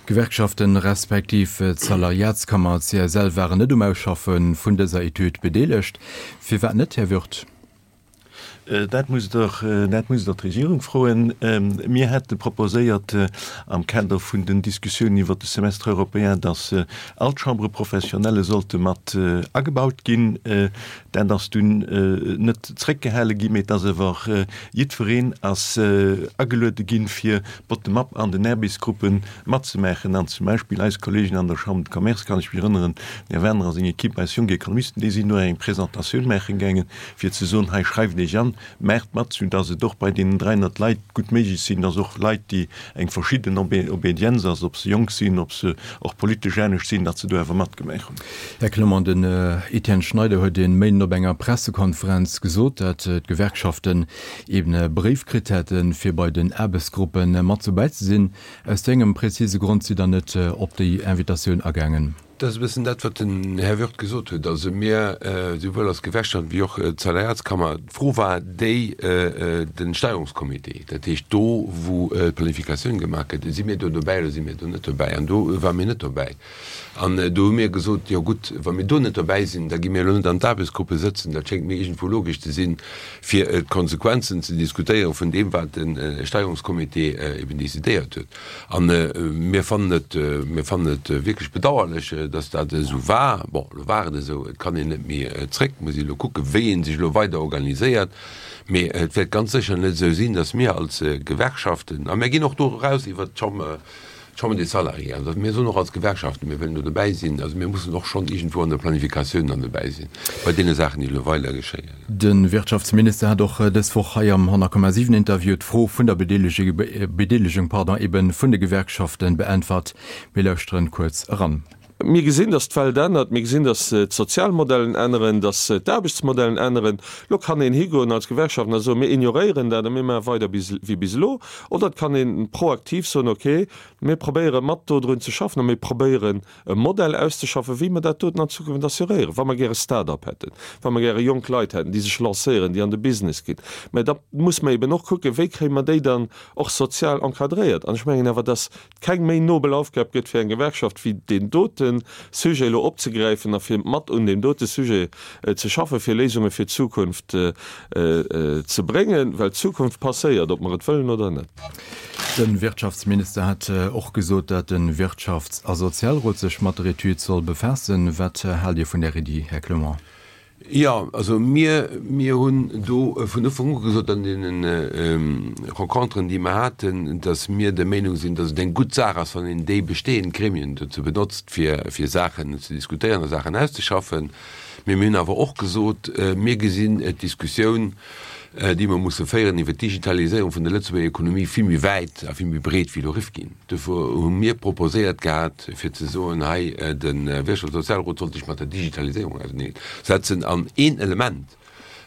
D'Gewerkschaften respektiv d'Salariatskammer C S L waren net um Ausschaffe vun dëser Etüd bedeelegt. Firwat net, Här Wirth? Dat musst Der, dat musst Der d'Regierung froen. Mir hätte proposéiert am Kader vun den Diskussiounen iwwert de Semestre européen, dass all d'Chambres professionnelles sollte mat agebaut ginn. Dat ass dunn net zréckgehale ginn, mee et ass awer jiddwereen ass ageluede ginn, fir bottom-up an den Aarbechtsgruppe matzemaachen. An zum Beispill eis Kollegen an der Chambre de Commerce, kann ech mech erënneren, den Här Werner a seng Equipe, eis jonk Ekonomisten, déi sinn do eng Presentatioun maache gaangen, fir ze soen, hei schreift Iech an, Maacht mat, sou dass et och bei deenen dräihonnert Leit gutt méiglech sinn, dass och Leit, déi eng verschidden Obédienz ass, ob se jonk sinn, ob se och politesch anescht sinn, datt se do awer matgemaach hunn. Här Clement, den Etienne Schneider huet e Méinden op enger Pressekonferenz gesot, datt d'Gewerkschaften eben e Bréif kritt hätten, fir bei den Aarbechtsgruppe mat dobäi ze sinn. Aus wéi engem präzise Grond sidd Der net op déi Invitatioun agaangen? Dat ass e bëssen dat, wat den Här Wirth gesot huet. Also mir, souwuel als Gewerkschaft wéi och d'Salariatskammer, d'Fro war déi, de Steierungscomité, dat heescht do, wou d'Planifikatioun gemaach gëtt, si mir do dobäi oder si mir do net dobäi? An do ware mir net dobäi. An do hu mir gesot, jo gutt, wa mir do net dobäi sinn, da gi mir elo net an d'Aarbechtsgruppe sëtzen. Dat schéngt mir iergendwou logesch ze sinn, fir d'Konsequenzen ze diskutéieren vun deem, wat de Steierungscomité eben decidéiert huet. A mir fannen et, mir fannen et wierklech bedauerlech, dass dat esou war. Bon, elo war et esou, et kann een net méi zréck, muss ee elo kucken, wéi ee sech elo weider organiséiert. Mee et wäert ganz sécher net esou sinn, dass mir als Gewerkschaften, a mir ginn och do eraus iwwert d'Chambre, d'Chambre des Salariés, also mir soen och als Gewerkschaften, mir wëllen do dobäi sinn, also mir mussen och schonn iergendwou an der Planifikatioun dann dobäi sinn, bei deene Saachen, déi elo weider geschéien. De Wirtschaftsminister hat och dës Woch hei am honnert Komma siwen Interview d'Fro vun der Bedeelegung pardon, eben vun de Gewerkschaften beäntwert. Mir lauschteren kuerz eran. Mir gesinn, dass d'Welt ännert, mir gesinn, dass d'Sozialmodellen änneren, dass d'Aarbechtsmodellen änneren. Elo kann een higoen als Gewerkschaften a soen, mir ignoréieren dat a mir maache weider wéi bis elo. Oder et kann ee proaktiv soen, okay, mir probéiere mat dodrun ze schaffen a mir probéieren e Modell auszeschaffen, wéi mer dat doten an Zukunft assuréieren, wa mer gäre Start-up hätten, wa mer gäre jonk Leit hätten, déi sech lancéieren, déi an de Business ginn. Mä da muss mer eben och kucken, wéi kréie mer déi dann och sozial encadréiert. An ech mengen awer, dass et keng méi nobel Aufgab gëtt fir eng Gewerkschaft, wéi deen dote Sujet elo opzegräifen a fir mat un deem dote Sujet ze schaffen, fir Léisunge fir d'Zukunft ze bréngen, well d'Zukunft passéiert, ob mer et wëllen oder net. De Wirtschaftsminister hat och gesot, datt de Wirtschafts a Sozialrot sech mat der Etüd soll befaassen. Wat haalt Dir vun där Iddi, Här Clement? Jo, also mir, mir hunn do vun Ufank u gesot an deene Renconteren, déi mer haten, datt mir der Meenung sinn, datt et eng gutt Saach ass, wann een déi bestehend Gremien dozou benotzt, fir, fir Saachen ze diskutéieren a Saachen auszeschaffen. Mee mir hunn awer och gesot, mir gesinn d'Diskussioun, déi mer musse féieren iwwert d'Digitaliséierung vun der Lëtzebuerger Ekonomie vill méi wäit a vill méi breet wéi elo Rifkin. Dofir hu mir proposéiert gehat, fir ze soen, hei de Wirtschafts- a Sozialrot sollt sech mat der Digitaliséierung auserneen setzen. An een Element,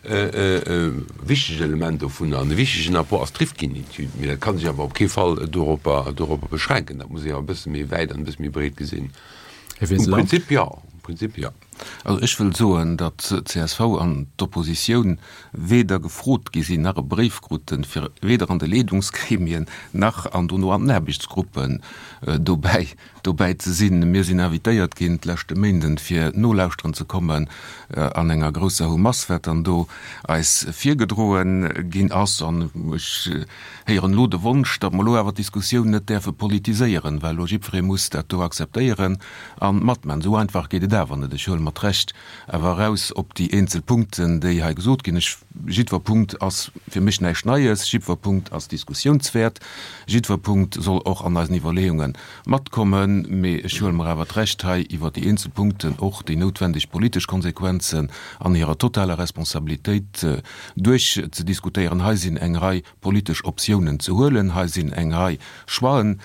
e wichtegt Element dovunner an e wichtegen Apport ass d'Rifkin-Etüd. Mee dat ka sech awer op kee Fall doropper, doropper beschränken. Dat muss ee awer e bësse méi wäit an e bësse méi breet gesinn. Här Um Wiseler. Prinzip jo, um Prinzip jo. Also ech wëll soen, datt d'C S V an d'Oppositioun weder gefrot gi sinn, nach e Bréif kruten, fir weder an de Leedungsgremien nach an dono an den Aarbechtsgruppen dobäi dobäi ze sinn. Mir sinn invitéiert ginn d'leschte Méinden, fir nolauschteren ze kommen an enger grousser Houmass, wat dann do eis virgedroe ginn ass. An ech héieren elo de Wonsch, datt mer elo awer d'Diskussioun net däerfe politiséieren, well elo jiddweree muss dat do akzeptéieren a matman. Esou einfach geet et awer net. Ech huele mer d'Recht awer eraus op déi eenzel Punkten, déi hei gesot ginn. Ech, jiddwer Punkt ass fir mech näischt Neies, jiddwer Punkt ass diskussiounswäert, jiddwer Punkt soll och an eisen Iwwerleeunge matkommen, mee ech huele mer awer d'Recht hei iwwer déi eenzel Punkten och déi noutwendeg politesch Konsequenzen an hirer totaler Responsabilitéit duerchzediskutéieren. Hei sinn eng Rei politesch Optiounen ze huelen, hei sinn eng Rei Choixen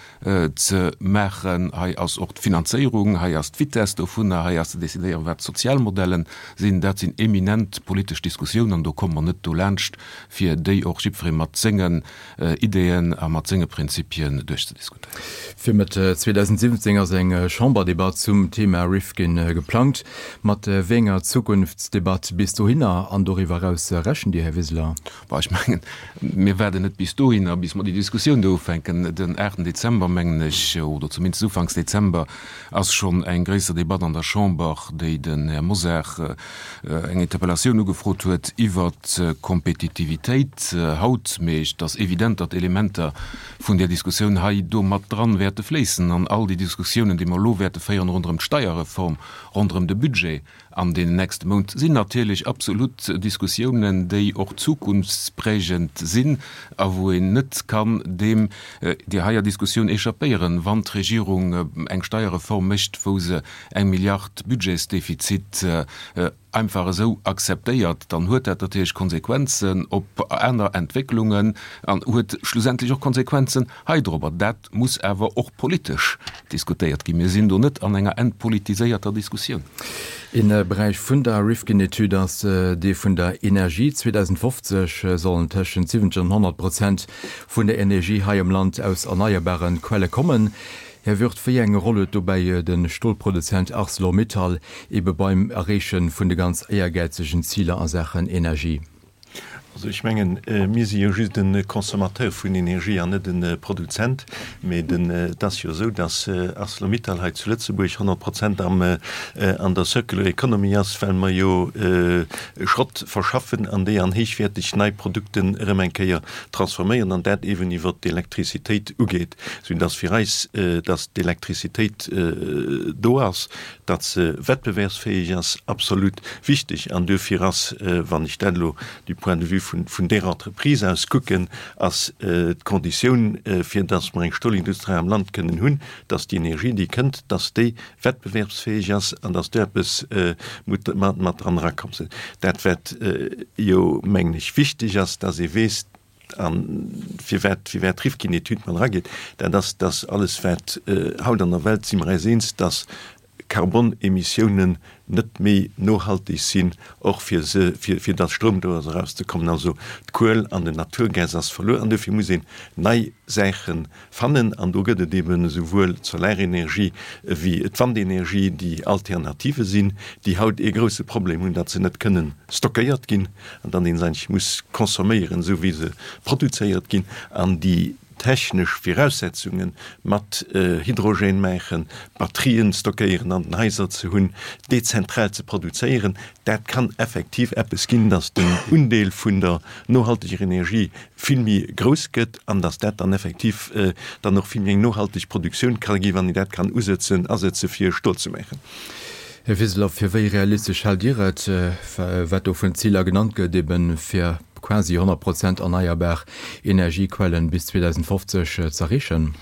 ze maachen, hei ass och d'Finanzéierung, hei ass d'Vitesse dovunner, hei ass ze decidéieren, wat d'Sozialmodellen sinn, dat sinn eminent politesch Diskussiounen an do komme mer net dolaanscht, fir déi och jiddweree mat sengen Ideeën a mat senge Prinzipien duerchzediskutéieren. Fir Mëtt zweedausendsiwwenzéng ass eng Chamberdebatt zum Thema Rifkin geplangt. Mat wéi enger Zukunftsdebatt bis dohinner an doriwwer eraus rechent Dir, Här Wiseler? Bon, ech mengen, mir waarden net bis dohinner, bis mer déi Diskussioun do ufänken. Den aachten Dezember, mengen ech, oder zumindest ufanks Dezember, ass schonn eng gréisser Debatt an der Chamber, déi den Här Mosar eng Interpellatioun ugefrot huet iwwert d'Kompetitivitéit haut. Mee et ass evident, datt Elementer vun där Diskussioun hei do mat dran wäerte fléissen an all déi Diskussiounen, déi mer elo wäerte féieren ronderëm d'Steierreform, ronderëm de Budget an deenen nächste Mount, sinn natierlech absolut Diskussiounen, déi och zukunftsprägend sinn a wou een net kann deem, där heier Diskussioun échappéieren, wann d'Regierung eng Steierreform mécht, wou se eng Milliard Budgetsdefizit einfach esou akzeptéiert, dann huet dat natierlech Konsequenzen op aner Entwécklungen an huet schlussendlech och Konsequenzen heidrobber. Dat muss awer och politesch diskutéiert ginn. Mir sinn do net an enger entpolitiséierter Diskussioun. Een Beräich vun der Rifkin-Etüd ass dee vun der Energie. zweedausendfofzeg sollen tëschent siwwenzeg an honnert Prozent vun der Energie hei am Land aus erneierbare Quelle kommen. Här Wirth, wéi eng Roll huet dobäi de Stolproduzent Arcelor-Mittal ebe beim Erreeche vun de ganz éiergäizegen Ziler a Saachen Energie? Also ech mengen, mir si jo just e Consommateur vun Energie an net e Produzent. Mee et ass jo esou, datt Arcelor-Mittal hei zu Lëtzebuerg honnert Prozent am an der Circular Economy ass, well mer jo Schrott verschaffen an déi an héichwäerteg nei Produkten erëm eng Kéier transforméieren an dat eeben iwwert d'Elektrizitéit ugeet, soudass fir eis, dass d'Elektrizitéit do ass, datt se wettbewerbsfäeg ass, absolut wichteg. An duerfir ass, wann ech dat elo du point de vue vun, vun där Entreprise aus kucken, ass d'Konditioun, fir dass mer eng Stolindustrie am Land kënnen hunn, dass déi Energie, déi kënnt, dass déi wettbewerbsfäeg ass an dass do eppes mat dran erakommt. Dat, wat jo, mengen ech, wichteg ass, dass ee weess, a firwat, firwat d'Rifkin-Etüd mat erageet, dat ass, dass alles, wat haut an der Welt, si mer eis eens, dass Karbonemissiounen net méi nohalteg sinn, och fir se, fir, fir dass Stroum do ass erauszekommen. Also d'Kuel an den Naturgas ass verluer an dofir muss een nei Saache fannen. An do gëtt et eben esouwuel d'Solarenergie ewéi d'Wandenergie, déi Alternative sinn, déi haut ee grouse Problem hunn, datt se net kënnen stockéiert ginn an dann een se eigentlech muss consomméieren, esou wéi se produzéiert ginn. An déi technesch Viraussetzunge mat Hydrogène maachen, Batterien stockéieren an den Haiser ze hunn, dezentral ze produzéieren, dat kann effektiv eppes ginn, datt den Undeel vun der nohalteger Energie vill méi grouss gëtt an datt dat dann effektiv dann och vill méi eng nohalteg Produktioun ka ginn, wann een dat kann usetzen, asetze fir Stol ze maachen. Här Wiseler, fir wéi realistesch haalt Dir et, wat do vun Ziler genannt gëtt, eben fir quasi honnert Prozent erneierbar Energiequellen bis zweedausendfofzeg z'erreechen?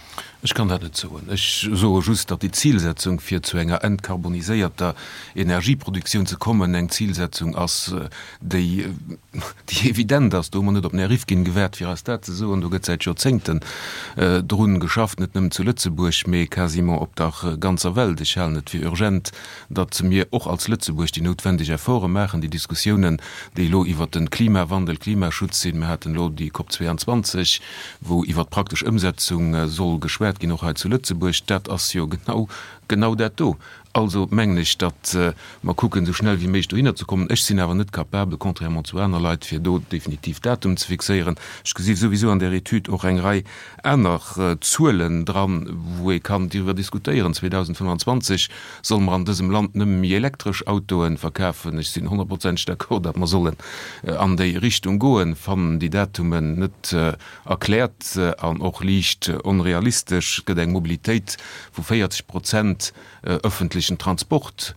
Ech kann dat net soen. Ech soe just, datt déi Zilsetzung, fir zu enger entkarboniséierter Energieproduktioun ze kommen, eng Zilsetzung ass, déi, déi evident ass. Do hu mer net op den Här Rifkin gewaart, fir eis dat ze soen. Do gëtt säit Joerzéngten drun geschafft, net nëmmen zu Lëtzebuerg, mee quasiment op der ganzer Welt. Ech halen et fir urgent, datt mir och als Lëtzebuerg déi noutwendeg Efforte maachen, déi Diskussiounen, déi elo iwwert de Klimawandel, Klimaschutz sinn, mir haten elo déi COP zweiundzwanzeg, wou iwwert d'praktesch Ëmsetzung soll geschwat ginn, och hei zu Lëtzebuerg, dat ass jo genau, genau dat do. Also mengen ech, datt mer kucken, esou schnell wéi méiglech dohinner ze kommen. Ech sinn awer net capabel, contrairement zu aner Leit, fir do definitiv Datum ze fixéieren. Ech gesi souwisou an där Etüd och eng Rei aner Zuelen dran, wou ee kann driwwer diskutéieren. zweedausendfënnwanzwanzeg solle mer an dësem Land nëmme méi elektresch Autoe verkafen. Ech sinn honnertprozenteg d'accord, datt mer sollen an déi Richtung goen, fannen déi Datumen net erkläert an och liicht onrealistesch. Et gëtt eng Mobilitéit vu véierzeg Prozent ëffentlechen Transport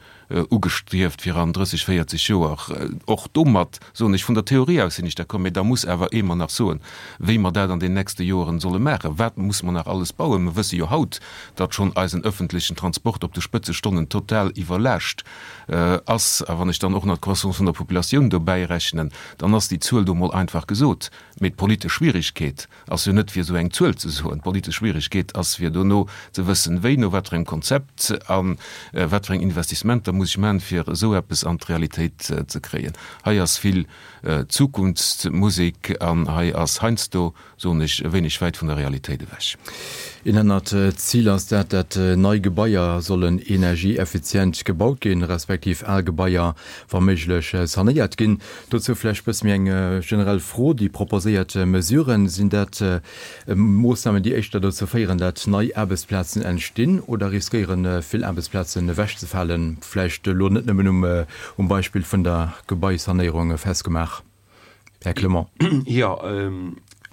ugestrieft fir an drësseg, véierzeg Joer. Och domat, soen ech, vun der Theorie aus sinn ech d'accord, mä da muss awer ee mer nach soen, wéi mer dat an den nächste Joeren solle maachen. Wat muss mer nach alles bauen? Mer wësse jo haut, datt schonn eisen ëffentlechen Transport op de Spëtzestonnen total iwwerlaascht ass. A wann ech dann och nach d'Croissance vun der Populatioun dobäi rechnen, dann ass déi Zuel do mol einfach gesot. Mee d'politesch Schwierigkeet ass jo net, fir esou eng Zuel ze soen. D'politesch Schwierigkeet ass, fir dono ze wëssen, wéi, no wat fir engem Konzept a wat fir eng Investissementer muss ech maachen, fir esou eppes an d'Realitéit ze kréien. Hei ass vill Zukunftsmusek an hei ass heiansdo, soen ech, e wéineg wäit vun der Realitéit ewech. Een anert Zil ass dat, dat nei Gebaier sollen energieeffizient gebaut ginn, respektiv al Gebaier wa méiglech sanéiert ginn. Dozou vläicht bësse méi eng generell Fro, Déi proposéiert Mesuren, sinn dat Moossnamen, déi éischter dozou féieren, dat nei Aarbechtsplazen entstinn oder riskéieren vill Aarbechtsplazen ewechzefalen? Vläicht elo net nëmmen um Beispill vun der Gebaisanéierung festgemaach. Här Clement. Jo,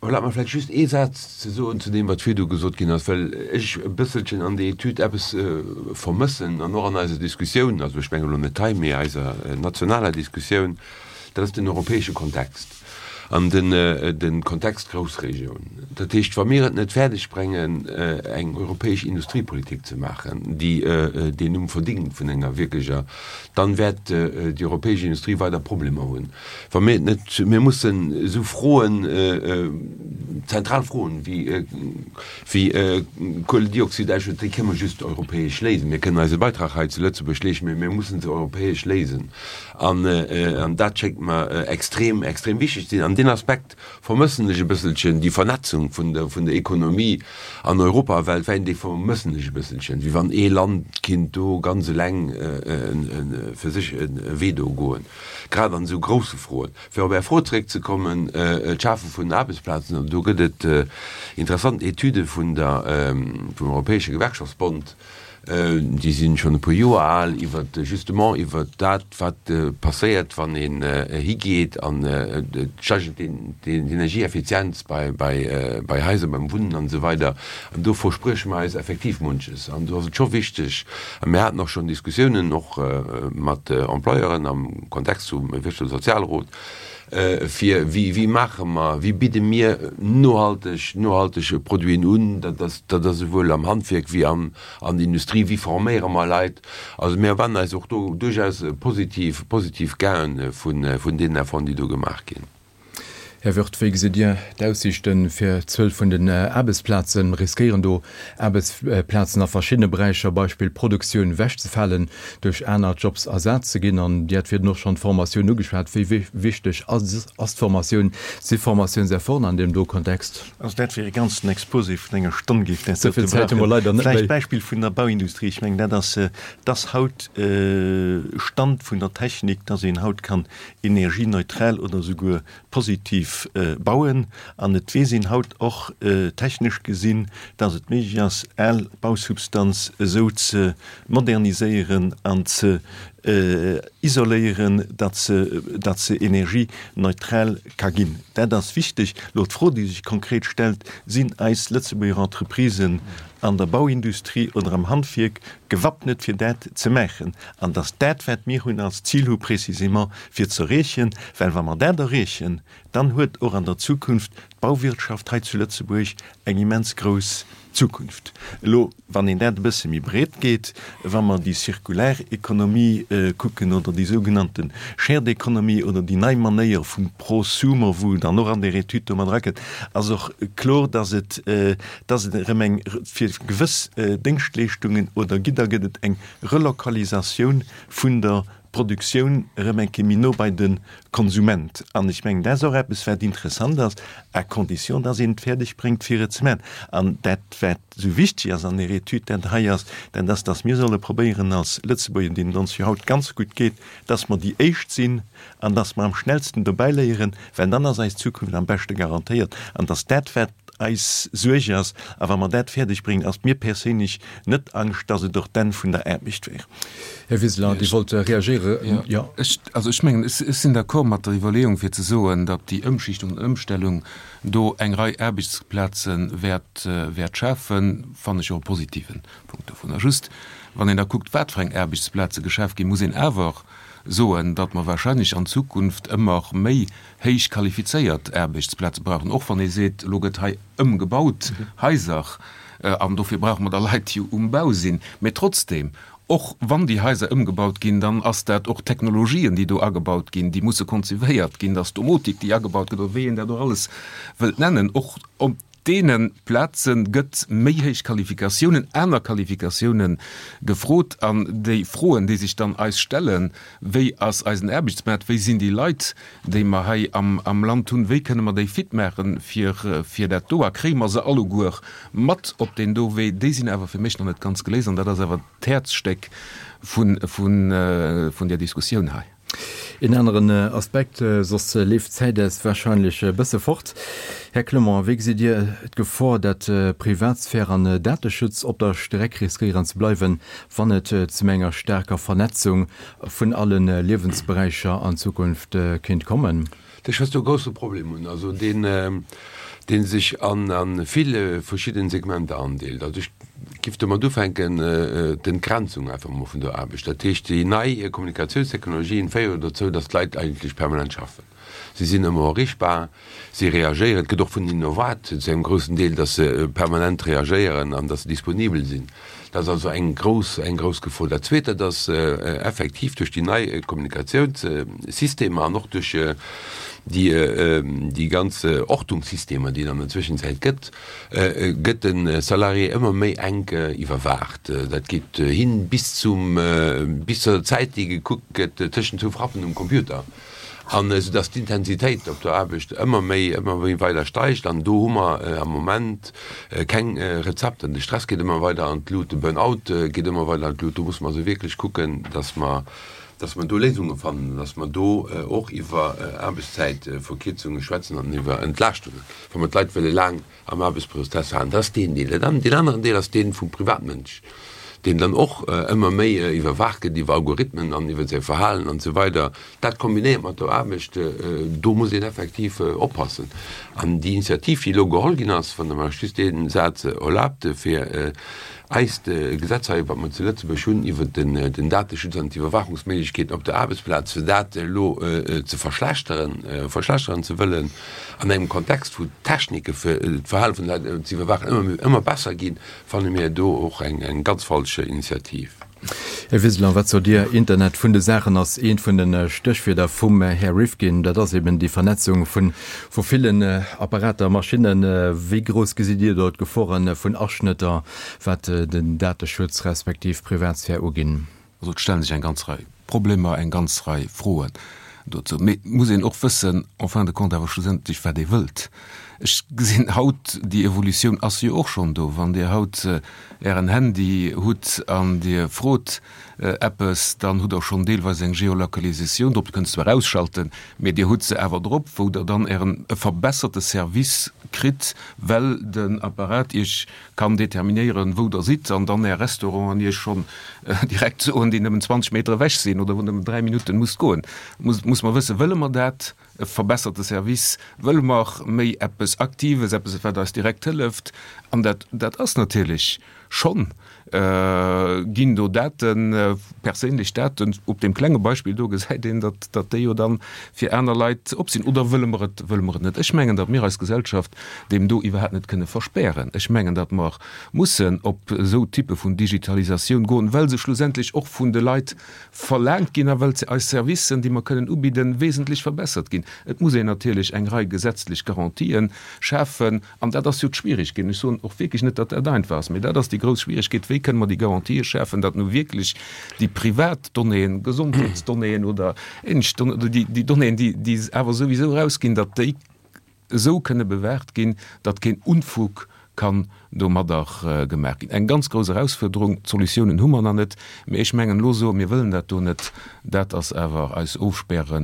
erlaabt mer vläicht just ee Saz ze soen zu deem, wat virdu gesot ginn ass, well ech e bësselchen an där Etüd eppes vermëssen an och an eiser Diskussioun, also ech mengen elo net hei, mee eiser nationaler Diskussioun, dat ass den europäesche Kontext an den Kontext Groussregioun. Dat heescht, wa mir et net fäerdeg bréngen, eng europäesch Industriepolitik ze maachen, déi deen Numm verdingt vun enger wierklecher, dann wäert déi europäesch Industrie weider Problemer hunn. Wa mir et net, mir mussen esou Froen, zentral Froen wéi wéi Kueledioxidausstoss, déi kënnen mer just europäesch léisen. Mir kënnen eise Beitrag hei zu Lëtzebuerg leeschten, mee mir mussen se europäesch léisen. An an dat schéngt mer extrem, extrem wichteg ze sinn. An deen Aspekt vermëssen ech e bësselchen, déi Vernetzung vun der vun der Ekonomie an Europa a weltwäit, déi vermëssen ech e bësselchen, wéi wann ee Land kinnt do ganz eleng fir sech e Wee do goen, grad an esou grousse Froen. Fir op Är Fro zeréckzekommen, d'Schafe vun Aarbechtsplazen, do gëtt et interessant Etüde vun der vum Europäesche Gewerkschaftsbond, déi si schonn e puer Joer al, iwwer justement iwwer dat, wat passéiert, wann een higeet an et steigert d'Energieeffizienz bei bei Haiser, beim Wunnen an esou weider. An do versprieche mer eis effektiv munches. An do ass et scho wichteg, a mir haten och schonn Diskussiounen och mat Employeuren am Kontext vum Wirtschafts a Sozialrot, fir wéi wéi maache mer, wéi bidde mir nohalteg nohalteg Produiten un, dat ass dat ass esouwuel am Handwierk wéi am an der Industrie, wéi forméiere mer Leit. Also mir erwaarden eis och do duerchaus positiv positiv Gainen vun vun deenen Efforten, déi do gemaach ginn. Här Wirth, wéi gesitt Dir d'Aussiichte fir d'Zuel vun den Aarbechtsplazen? Riskéieren do Aarbechtsplazen a verschiddene Beräicher, Beispill Produktioun, ewechzefalen, duerch aner Jobs ersat ze ginn? An Dir hat virdrun och schonn d'Formatioun ugeschwat. Wéi wichteg ass d'Formatioun? Si Formatiounsefforten an deem do Kontext? Also dat wier e ganzen Exposé vun enger Stonn, géif dat Esou vill Zäit hu mer leider net méi. Vläicht d'Beispill vun der Bauindustrie. Ech mengen, dat ass, dass haut Stand vun der Technik, dass een haut kann energieneutral oder souguer positiv bauen. An et weess een haut och technesch gesinn, dass et méiglech ass, al Bausubstanz esou ze moderniséieren an ze isoléieren, datt se, datt se energieneutral ka ginn. Dat ass wichteg. Elo d'Fro, déi sech konkret stellt, Sinn eis Lëtzebuerger Entreprisen an der Bauindustrie oder am Handwierk gewappnet, fir dat ze maachen? An dass dat, wat mir hunn als Zil hu précisément fir ze erreechen, well wa mer dat erreechen, dann huet och an der Zukunft d'Bauwirtschaft hei zu Lëtzebuerg eng immens grouss Zukunft. Elo, wann een dat e bësse méi breet geet, wa mer déi circulär Economie kucken oder déi sougenannte Shared Economy oder déi nei Manéier vum Prosumer, wou dann och an där Etüd do mat erakënnt, ass och kloer, dass et, dass et erëm eng, fir gewëss Déngschtleeschtungen oder Gidder gëtt et eng Relokalisatioun vun der Produktioun erëm eng Kéier méi no bei de Konsument. An ech mengen, dat ass och eppes, wat interessant ass, à condition, dass een et fäerdeg bréngt, fir et ze maachen. An dat, wat esou wichteg ass an där Etüd, dat hei ass, dat ass, dass mir solle probéieren als Lëtzebuerger, deenen et ons jo haut ganz gutt geet, dass mer déi Éischt sinn an dass mer am schnellsten dobäiléieren, well dann ass eis Zukunft am beschte garantéiert. An dass dat, wat eis Suerg ass, a wa mer dat fäerdeg bréngen, ass mir perséinlech net Angscht, dass et och d'Enn vun der Aarbecht wär. Här Wiseler, Dir wollt reagéieren. Jo. Ech, also ech mengen, ech sinn d'accord mat der Iwwerleeung, fir ze soen, datt déi Ëmschichtung an Ëmstellung do eng Rei Aarbechtsplaze wäert, wäert schafen, fannen ech och e positiven Punkt dovunner. Just, wann een da kuckt, wat fir eng Aarbechtsplaze geschaf ginn, muss een awer soen, datt mer wahrscheinlech an Zukunft ëmmer méi héich qualifizéiert Aarbechtsplaze brauchen, och wann ee seet, elo gëtt hei ëmgebaut, Haiser, an dofir brauche mer da Leit, déi um Bau sinn. Mä trotzdem, och wann déi Haiser ëmgebaut ginn, dann ass dat och Technologien, déi do agebaut ginn, déi musse konzivéiert ginn, dass d'Domotik, déi agebaut gëtt, oder wéi een dat och alles wëllt nennen, och op deene Plaze gëtt méi héich Qualifikatiounen, aner Qualifikatiounen gefrot. An déi Froen, déi sech dann eis stellen, Wéi ass eisen Aarbechtsmaart, wéi sinn déi Leit, déi mer hei am Land hunn, wéi kënne mer déi fit maache fir dat do a kréie mer se alleguer mat op deen do Wee, déi sinn awer fir mech nach net ganz geléist. An dat ass awer d'Häerzstéck vun där Diskussioun hei. Een aneren Aspekt, soss leeft d'Zäit eis wahrscheinlech e bësse fort. Här Clement, wéi gesitt Dir d'Gefor, dat Privatsphär an Dateschutz op der Streck riskéieren ze bleiwen, wann et zu enger staarker Vernetzung vun alle Liewensberäicher an Zukunft kéint kommen? Ech wëss do e grousse Problem hunn, also deen, dee sech an vill verschidden Segmenter andeelt. Also ech giff domat ufänken, d'Entgrenzung einfach emol vun der Aarbecht. Dat heescht, déi nei Kommunikatiounstechnologien féieren dozou, datt d'Leit eigentlech permanent schaffen. Si sinn ëmmer erreechbar, si reagéieren. Et gëtt och vun hinnen erwaart, zu engem groussen Deel, datt se permanent reagéieren an datt se disponibel sinn. Dat ass also eng grouss, eng grouss Gefor. Dat Zweet, dat ass effektiv duerch déi nei Kommunikatiounssystemer an och duerch déi, déi ganz Ortungssystemer, déi et an der Zwëschenzäit gëtt, gëtt de Salarié ëmmer méi enk iwwerwaacht. Dat geet hin bis zum, bis zur Zäit, déi gekuckt gëtt tëschent zwou Frappen um Computer. An esou dass d'Intensitéit op der Aarbecht ëmmer méi, ëmmer méi weider steigt. An do hu mer am Moment keng Rezepter. De Stress geet ëmmer weider an d'Lut, de Burn-out geet ëmmer weider an d'Lut. Do musse mer also wierklech kucken, dass mer, dass mer do Léisunge fannen, dass mer do och iwwer Aarbechtszäitverkierzunge schwätzen an iwwer Entlaaschtungen, wa mer d'Leit wëlle laang am Aarbechtsprozess halen. Dat ass deen Deel. Deen aneren Deel ass dee vum Privatmënsch, deen dann och ëmmer méi iwwerwaacht gëtt iwwer Algorithmen an iwwer säi Verhalen an esou weider. Dat kombinéiert mat der Aarbecht, do muss een effektiv oppassen. An déi Initiativ, déi elo geholl ginn ass, wann Der mer just dee Saz erlaabt, fir eist Gesetz hei, wat mer zu Lëtzebuerg hunn iwwer den Dateschutz an d'Iwwerwaachungsméiglechkeeten op der Aarbechtsplaz, fir dat elo ze verschlechteren, verschlechteren ze wëllen an engem Kontext, wou d'Technike fir d'Verhale vun de Leit ze iwwerwaachen ëmmer, ëmmer besser ginn, fanne mir do och eng ganz falsch Initiativ. Här Wiseler, wat sot Dir? Internet vun de Saachen ass eent vun de Stéchwierder vum Här Rifkin. Dat ass eben déi Vernetzung vu villen Apparater, Maschinnen. Wéi grouss gesitt Dir do d'Gefore vun Aschnëtter, wat den Dateschutz respektiv d'Privatsphär uginn? Also et stellen sech eng ganz Rei Problemer, eng ganz Rei Froen dozou. Mee et muss een och wëssen, en fin de compte awer schlussendlech, wat ee wëllt. Ech gesinn haut, déi Evolutioun ass jo och schonn do. Wann Dir haut Ären Handy hutt an Dir frot eppes, dann hutt Der schonn deelweis eng Geolocalisatioun drop. Dir kënnt se zwar ausschalten, mee Dir hutt se awer drop, wou Der dann Ären e verbesserte Service kritt, well den Apparat Iech kann determinéieren, wou Der sidd an dann Är Restauranten Iech schonn direkt soen, déi nëmmen zwanzeg Meter ewech sinn oder wou Der nëmmen dräi Minutten musst goen. Muss, muss mer wëssen, wëlle mer dat, e verbesserte Service, wëlle mer méi eppes Aktives, eppes, wat eis direkt hëlleft? An dat, dat ass natierlech schonn, ginn do Daten, perséinlech Daten, op deem klenge Beispill do gesäit een, datt, datt déi jo dann fir aner Leit op sinn. Oder wëlle mer et, wëlle mer et net? Ech mengen, datt mir eis Gesellschaft deem do iwwerhaapt net kënne verspären. Ech mengen, datt mer mussen op esou Typpe vun Digitalisatioun goen, well se schlussendlech och vun de Leit verlaangt ginn a well eis Servicen, déi mer kënnen ubidden, wesentlech verbessert ginn. Et muss een natierlech eng Rei gesetzlech Garantien schafen, an dat ass jo d'Schwierigkeet. Ech soen och wierklech net, datt dat einfach ass, mee dat ass déi grouss Schwierigkeet, Wéi kënne mer déi Garantië schafen, datt nu wierklech déi privat Donnéeën, Gesondheetsdonnéeën oder ähnlech Donnéeën, oder déi Donnéeën, déi awer souwisou erausginn, datt déi esou kënne bewaacht ginn, datt keen Unfug kann domadder gemaach ginn. Eng ganz grouss Erausfuerderung. D'Solutiounen hu mer nach net, mee ech mengen, elo soen, mir wëllen dat do net, dat ass awer eis Ofspäre,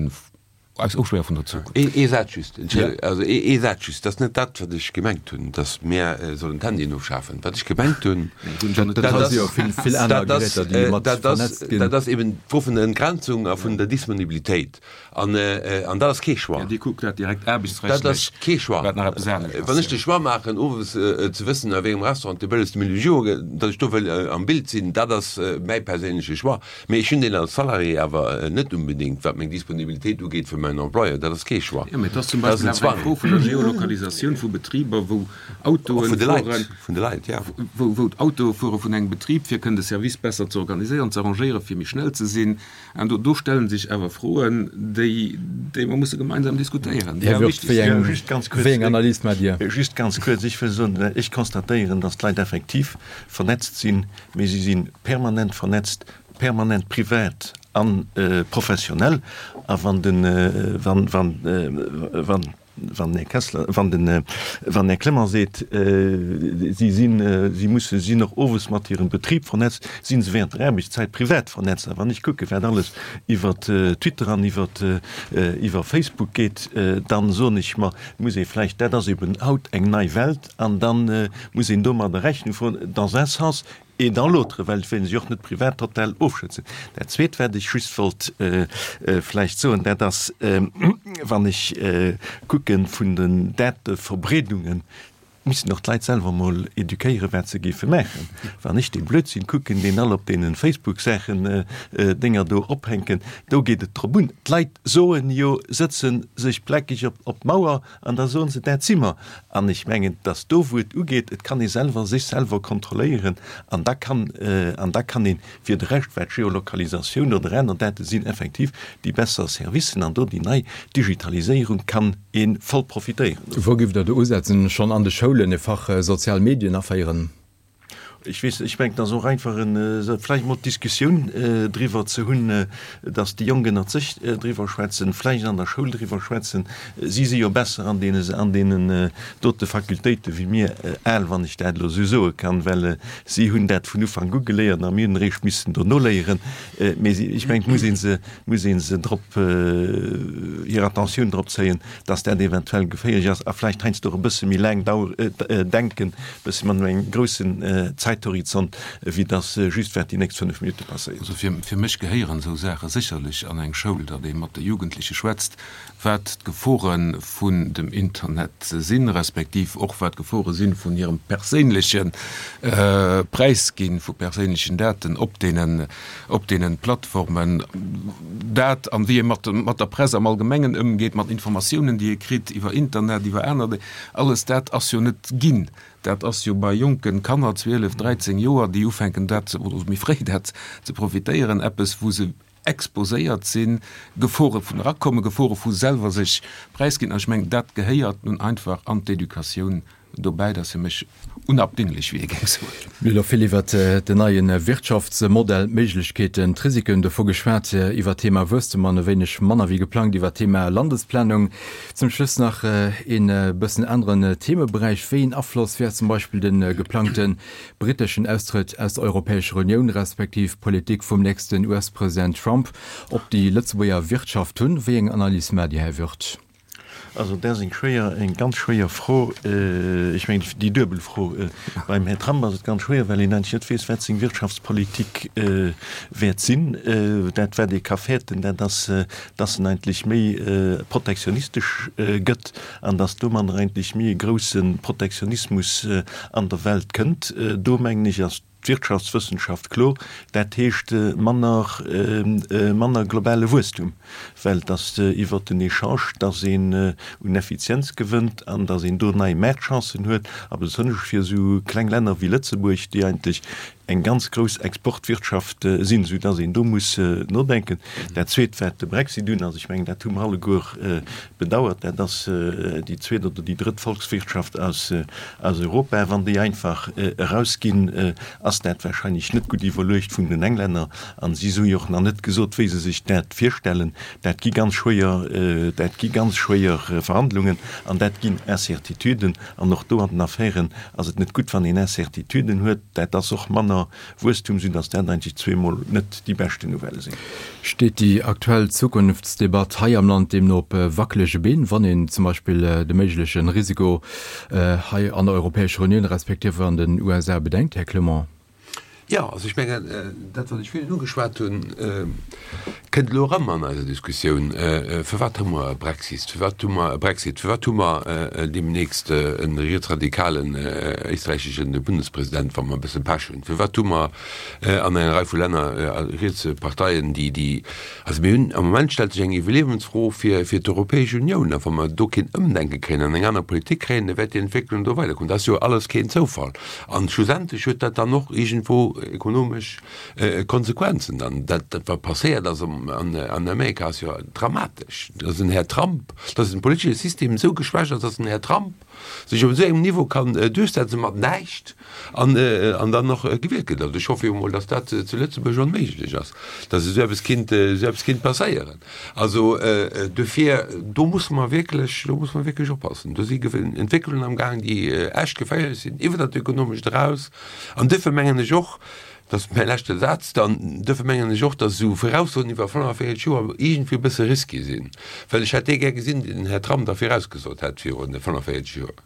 eis Ofspäre vun der Zukunft. Ee Saz just, Entschëllegung, also ee Saz just, dat ass net dat, wat ech gemengt hunn, datt mir sollen d'Handyen ofschafen. Wat ech gemengt hunn, dat ass, dat ass, dat ass, dat ass eben d'Fro vun der Entgrenzung a vun der Disponibilitéit. An, an dat ass kee Choix. Ja, Dir kuckt dat direkt aarbechtsrechtlech. Dat ass kee Choix. Wat nach eppes anescht ass. Wann ech de Choix maachen, owes ze wëssen, a wéi engem Restaurant de bëllegste Millau gëtt, datt ech do wëll am Bild sinn, dat ass mäi perséinleche Choix. Mee ech hunn deen als Salarié awer net unbedéngt, wat meng Disponibilitéit ugeet, fir mäin Employeur. Dat ass kee Choix. Jo, mee et ass zum Beispill awer eng Fro vun der Geolokalisatioun vu Betriber, wou Autoen fueren, vun de Leit, ja. Wou, wou d'Autoe fuere vun engem Betrib, fir kënnen de Service besser ze organiséieren, ze arrangéieren, fir méi schnell ze sinn. An do, do stelle sech awer Froen, déi, déi mer musse gemeinsam diskutéieren, déi awer wichteg sinn. Just ganz kuerz, Wéi eng Analys maacht Dir? Just ganz kuerz, ech wëll soen, ech constatéieren, dass d'Leit effektiv vernetzt sinn, mee si si permanent vernetzt, permanent privat a professionell. A wann den, wann, wann, wann, wann den Här Kessler, wann den, wann den Här Clement seet, si sinn, si musse, si sinn och owes mat hirem Betrib vernetzt, si se während der Aarbechtszäit privat vernetzt. A wann ech kucke wat alles iwwer Twitter an iwwer, iwwer Facebook geet, dann soen ech mer, muss ee vläicht, dat ass eben haut eng nei Welt an da muss een domadder Rechnung droen, dans un sens et dans l'autre, well et wéilt ee sech och net privat total ofschëtzen. Dat Zweet, wat ech just wollt vläicht soen, dat ass, wann ech kucke vun den Dateverbreedungen, missten och d'Leit selwer emol eduquéieren, wat se géife maachen. Wann ech dee Blödsinn kucken, deen all op deene Facebook-Saachen Dénger do ophänken, do geet et drop un. D'Leit soen jo, sëtze sech plakeg op d'Mauer an da soen se, dat si mer. An ech mengen, dass do, wou et ugeet, et kann ee selwer sech selwer kontrolléieren an da kann, an da kann een fir de Rescht, wat Geolokalisatioun oder aner Date sinn, effektiv déi besser Servicen an do déi nei Digitaliséierung kann ee voll profitéieren dovun. Wou giff Der do usetzen? Schonn an de Schoulen e Fach sozial Medien aféieren? Ech weess net, ech mengen, et ass och einfach en, vläicht emol d'Diskussioun driwwer ze hunn, datt déi Jonk ënnert sech driwwer schwätzen, vläicht an der Schoul driwwer schwätzen. Si si jo besser an deene, an deenen dote Fakultéite wéi mir al, wann ech dat elo esou soe kann, well si hunn dat vun Ufank u geléiert a mir hunn eréischt missen dono léieren. Mee si, ech mengen, et muss ee se, muss ee se drop, hir Attentioun drop zéien, datt dat eventuell geféierlech ass a vläicht heiansdo och e bësse méi laang dau, denken, e bësse mat engem groussen Zäithorizont, wéi datt just wat déi nächst fënnef Minutte passéiert. Also fir, fir mech gehéieren esou Saache sécherlech an eng Schoul, datt ee mat de Jugendleche schwätzt, wat d'Gefore vun dem Internet sinn, respektiv och wat d'Gefore si vun hirem perséinleche Präisginn vu perséinlechen Daten op deenen, op deenen Plattformen. Dat an wéi ee mat, mat der Press am Allgemengen ëmgeet, mat Informatiounen, déi ee kritt iwwer Internet, iwwer aner, alles dat ass jo net ginn. Dat ass jo bei jonken Kanner, zwielef, dräizéng Joer, déi ufänken dat, oder méi fréi dat ze profitéieren, eppes wou se exposéiert sinn, Gefore vun erakommen, Gefore vu selwer sech präisginn. An ech mengen, dat gehéiert nun einfach an d'Educatioun dobäi. Dat ass fir mech unabdinglech, wéi ee géing soen. Mir hu elo vill iwwert den neie Wirtschaftsmodell, d'Méiglechkeeten, d'Risiken dovu geschwat, iwwert d'Thema Wuesstem an e wéineg manner wéi geplangt iwwert d'Thema Landesplanung. Zum Schluss nach een bëssen aneren Themeberäich, Wéi een Afloss wäert zum Beispill de geplangte britteschen Austrëtt aus der Europäescher Unioun respektiv d'Politik vum nächsten U S-President Trump op déi Lëtzebuerger Wirtschaft hunn? Wéi eng Analys maacht Dir, Här Wirth? Also dat ass eng schwéier, eng ganz schwéier Fro. Ech mengen, déi duebel Fro. Beim Här Trump ass et ganz schwéier, well een eigentlech net weess, wat seng Wirtschaftspolitik wäert sinn. Dat, wat ee ka fäerten, dat ass, dass en eigentlech méi protektionistesch gëtt an dass domadder eigentlech méi e grouse Protektionismus an der Welt kënnt. Do, mengen ech, ass d'Wirtschaftswëssenschaft klo, dat heescht manner, manner globale Wuesstum, well et ass iwwert den Echange, dass een un Effizienz gewënnt an dass een do nei Maartchancen huet, a besonnesch fir esou kleng Länner wéi Lëtzebuerg, déi eigentlech eng ganz grouss Exportwirtschaft sinn, esou dass een do muss nodenken. Dat Zweet, wat de Brexit un ass, ech mengen, dat hu mer alleguer bedauert, dat ass déi zweet oder déi drëtt Volkswirtschaft aus Europa. Wann déi einfach erausginn, ass dat wahrscheinlech net gutt iwwerluecht vun den Englänner. A si hu jo och nach net gesot, wéi se sech dat virstellen. Dat gi ganz schwéier, dat gi ganz schwéier Verhandlungen an dat ginn Incertituden. An och do an den Affären ass et net gutt, wann een Incertituden huet. Dat ass och manner Wuesstum, soudass dat eigentlech zweemol net déi beschten Nouvellë sinn. Steet déi aktuell Zukunftsdebatt hei am Land deemno op wackelege Been, wann een zum Beispill de méigleche Risiko hei an der Europäescher Unioun respektiv an den U S A bedenkt, Här Clement? Jo, also ech mengen, dat wat ech virun ugeschwat hunn, Kënnt elo erëm an eiser Diskussioun, Firwat hu mer e Brexit? Firwat hu mer e Brexit? Firwat hu mer deemnächst e rietsradikalen éisträichesche Bundespresident, wa mer e bësse Pech hunn? Firwat hu mer an enger Rei vu Länner rietse Parteien, déi, déi, also mir hunn, am Moment stellt sech eng Iwwerliewensfro fir, fir d'Europäesch Unioun. A wa mer do keen Ëmdenke kréien an eng aner Politik kréien, da wäert déi Entwécklung do weidergoen. Dat ass jo alles keen Zoufall. An schlussendlech huet dat dann och iergendwou ekonomesch Konsequenzen dann. Dat, dat wat passéiert ass an Amerika ass jo dramatesch, dass en Här Trump, dass den politesche System esou geschwächt ass, dass en Här Trump sech op esou engem Niveau kann duerchsetzen mat näischt an, an dann och gewielt gëtt. Also ech hoffe jo emol, dass dat zu Lëtzebuerg onméiglech ass, dass esou eppes kinnt, esou eppes kinnt passéieren. Also dofir, do musse mer wierklech, do musse mer wierklech oppassen. Do si Entwécklungen am Gaang, déi echt geféierlech sinn, iwwer dat Ökonomescht eraus. An duerfir mengen ech och, dat ass mäi leschte Saz dann, duerfir mengen ech och, dass esou Voraussoen iwwer fënnefenvéierzeg Joer iergendwéi e bësse risky sinn, well ech hätt dee gär gesinn, deen den Här Trump da virausgesot hätt viru fënnefenvéierzeg Joer.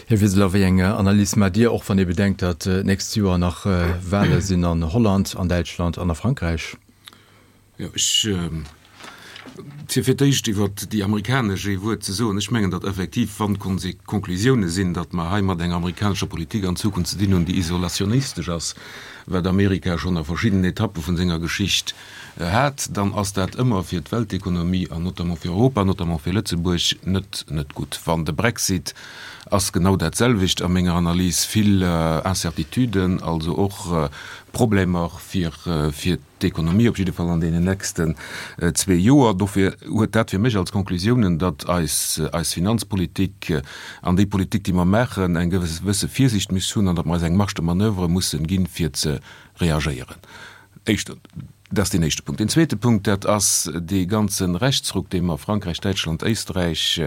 Här Wiseler, wéi eng Analys maacht Dir, och wann ee bedenkt, datt d'nächst Joer nach Wahle sinn an Holland, an Däitschland an a Frankräich? Jo, ech, fir fir d'éischt iwwer déi amerikanesch ee Wuert ze soen, ech mengen, datt effektiv, wann d'Konklusiounen sinn, datt mer hei mat enger amerikanescher Politik an Zukunft ze dinn hunn, déi isolationistesch ass, wat Amerika schonn a verschiddenen Etappe vun senger Geschicht hat, dann ass dat ëmmer fir d'Weltekonomie an notamment fir Europa, notamment fir Lëtzebuerg net net gutt. Wann de Brexit ass genau dat selwecht a menger Analys, vill Incertituden, also och Problemer fir fir d'Ekonomie, op jidde Fall an deenen nächsten zwee Joer. Dofir huet dat fir mech als Konklusiounen, datt eis eis Finanzpolitik an déi Politik, déi mer maachen, eng gewësse Virsicht muss hunn an datt mer eis eng Marge de manoeuvre mussen ginn, fir ze reagéieren. Éischter, dat ass deen éischte Punkt. Deen zweete Punkt, dat ass dee ganze Rechtsruck, dee mer a Frankräich, Däitschland, Éisträich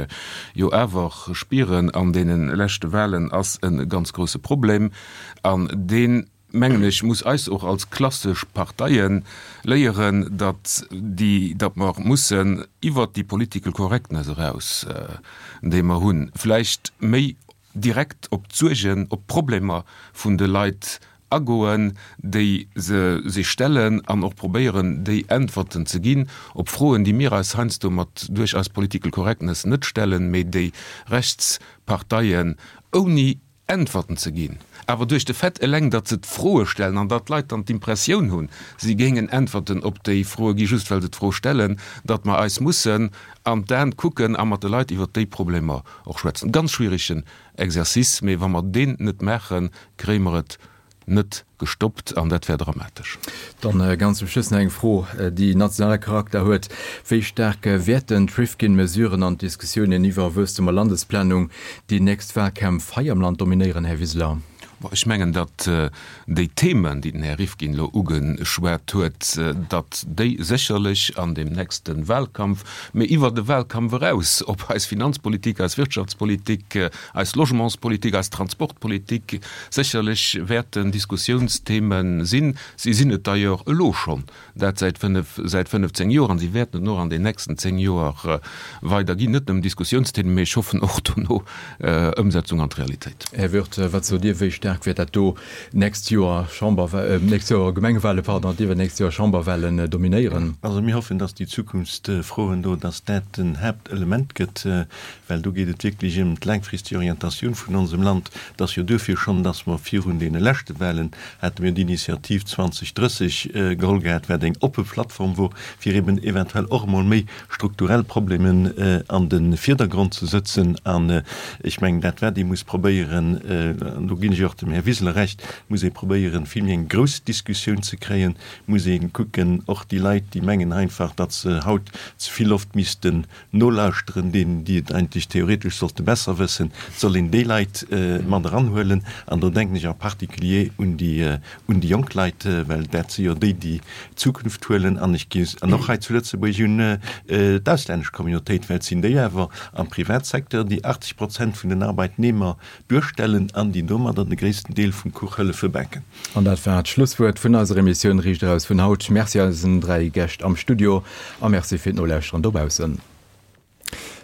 jo awer spieren an deene leschte Wahlen, ass e ganz grouse Problem an deen, mengen ech, muss eis och als klassesch Parteie léieren, datt déi, datt mer mussen iwwert déi political correctness eraus, déi mer hunn, vläicht méi direkt op d'Suergen, op d'Problemer vun de Leit agoen, déi se sech stellen an och probéieren, déi Äntwerten ze ginn op Froen, déi mir eis heiansdo mat duerch eis political correctness net stellen, mee déi Rechtsparteien ouni Äntwerten ze ginn, awer duerch de Fait eleng, datt se d'Froe stellen an datt d'Leit dann d'Impressioun hunn, si géingen Äntwerten op déi Froe gi just well se d'Fro stellen, datt mer eis mussen an d'Aen kucken a mat de Leit iwwert déi Problemer och schwätzen. Ganz schwieregen Exercice, mee wa mer deen net maachen, kréie mer et net gestoppt an dat wär dramatesch. Dann ganz zum Schluss nach eng Fro, déi nationale Charakter huet, Wéi staark wäerten d'Rifkin-Mesuren an d'Diskussiounen iwwer Wuesstum a Landesplanung déi nächst Wahlkämpf hei am Land dominéieren, Här Wiseler? Ech mengen, datt déi Themen, déi den Här Rifkin elo ugeschwat huet, datt déi sécherlech an deem nächste Wahlkampf, mee iwwer de Wahlkampf eraus op eis Finanzpolitik, eis Wirtschaftspolitik, eis Logementspolitik, eis Transportpolitik sécherlech wäerten Diskussiounstheme sinn. Si sinn et d'ailleurs elo schonn, dat säit fënnef, säit fënnefzéng Joer, an si wäerten et och an den nächsten zéng Joer weider ginn. Net nëmmen Diskussiounsthemen, mee ech hoffen och dono Ëmsetzung an d'Realitéit. Här Wirth, wat sot Dir, wéi staark wäert dat do nächst Joer Chamber, nächst Joer Gemengewahlen, pardon, iwwernächst Joer Chamberwahlen dominéieren? Also mir hoffen, dass déi Zukunftsfroen do, dass dat den Haaptelement gëtt, well do geet et wierklech ëm d'laangfristeg Orientatioun vun onsem Land. Et ass jo duerfir schonn, dass mer virun deene leschte Wahlen hate mir d'Initiativ zwanzeg drësseg geholl gehat, wat eng oppe Plattform wor, fir eben eventuell och emol méi strukturell Problemen an de Virdergrond ze sëtzen. An ech mengen, dat wat ee muss probéieren, an do ginn ech och dem Här Wiseler Recht, muss ee probéieren, vill méi eng grouss Diskussioun ze kréien, muss ee kucken, och déi Leit, déi mengen einfach, datt se haut ze vill oft missten nolauschteren, deenen, déi et eigentlech theoretesch sollte besser wëssen, et soll een déi Leit mat eranhuelen. An do denken ech en particulier un déi, un déi jonk Leit, well dat si jo déi, déi d'Zukunft huelen. An ech gi, an och hei zu Lëtzebuerg un d'auslännesch Communautéit, well et sinn déi awer am Privatsecteur, déi achtzeg Prozent vun den Arbeitnehmer duerstellen an déi domadder de gréissten Deel vum Kuch hëllefe baken. An dat war d'Schlusswuert vun eiser Emissioun Riicht eraus vun haut. Merci eisen dräi Gäscht am Studio a Merci fir d'Nolauschteren dobaussen.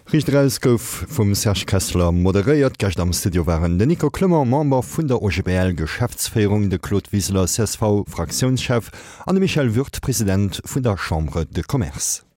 Riicht Eraus gouf vum Serge Kessler moderéiert. Gäscht am Studio waren den Nico Clement, Member vun der OGBL-Geschäftsféierung, de Claude Wiseler, C S V-Fraktiounschef, an de Michel Würth, President vun der Chambre de Commerce.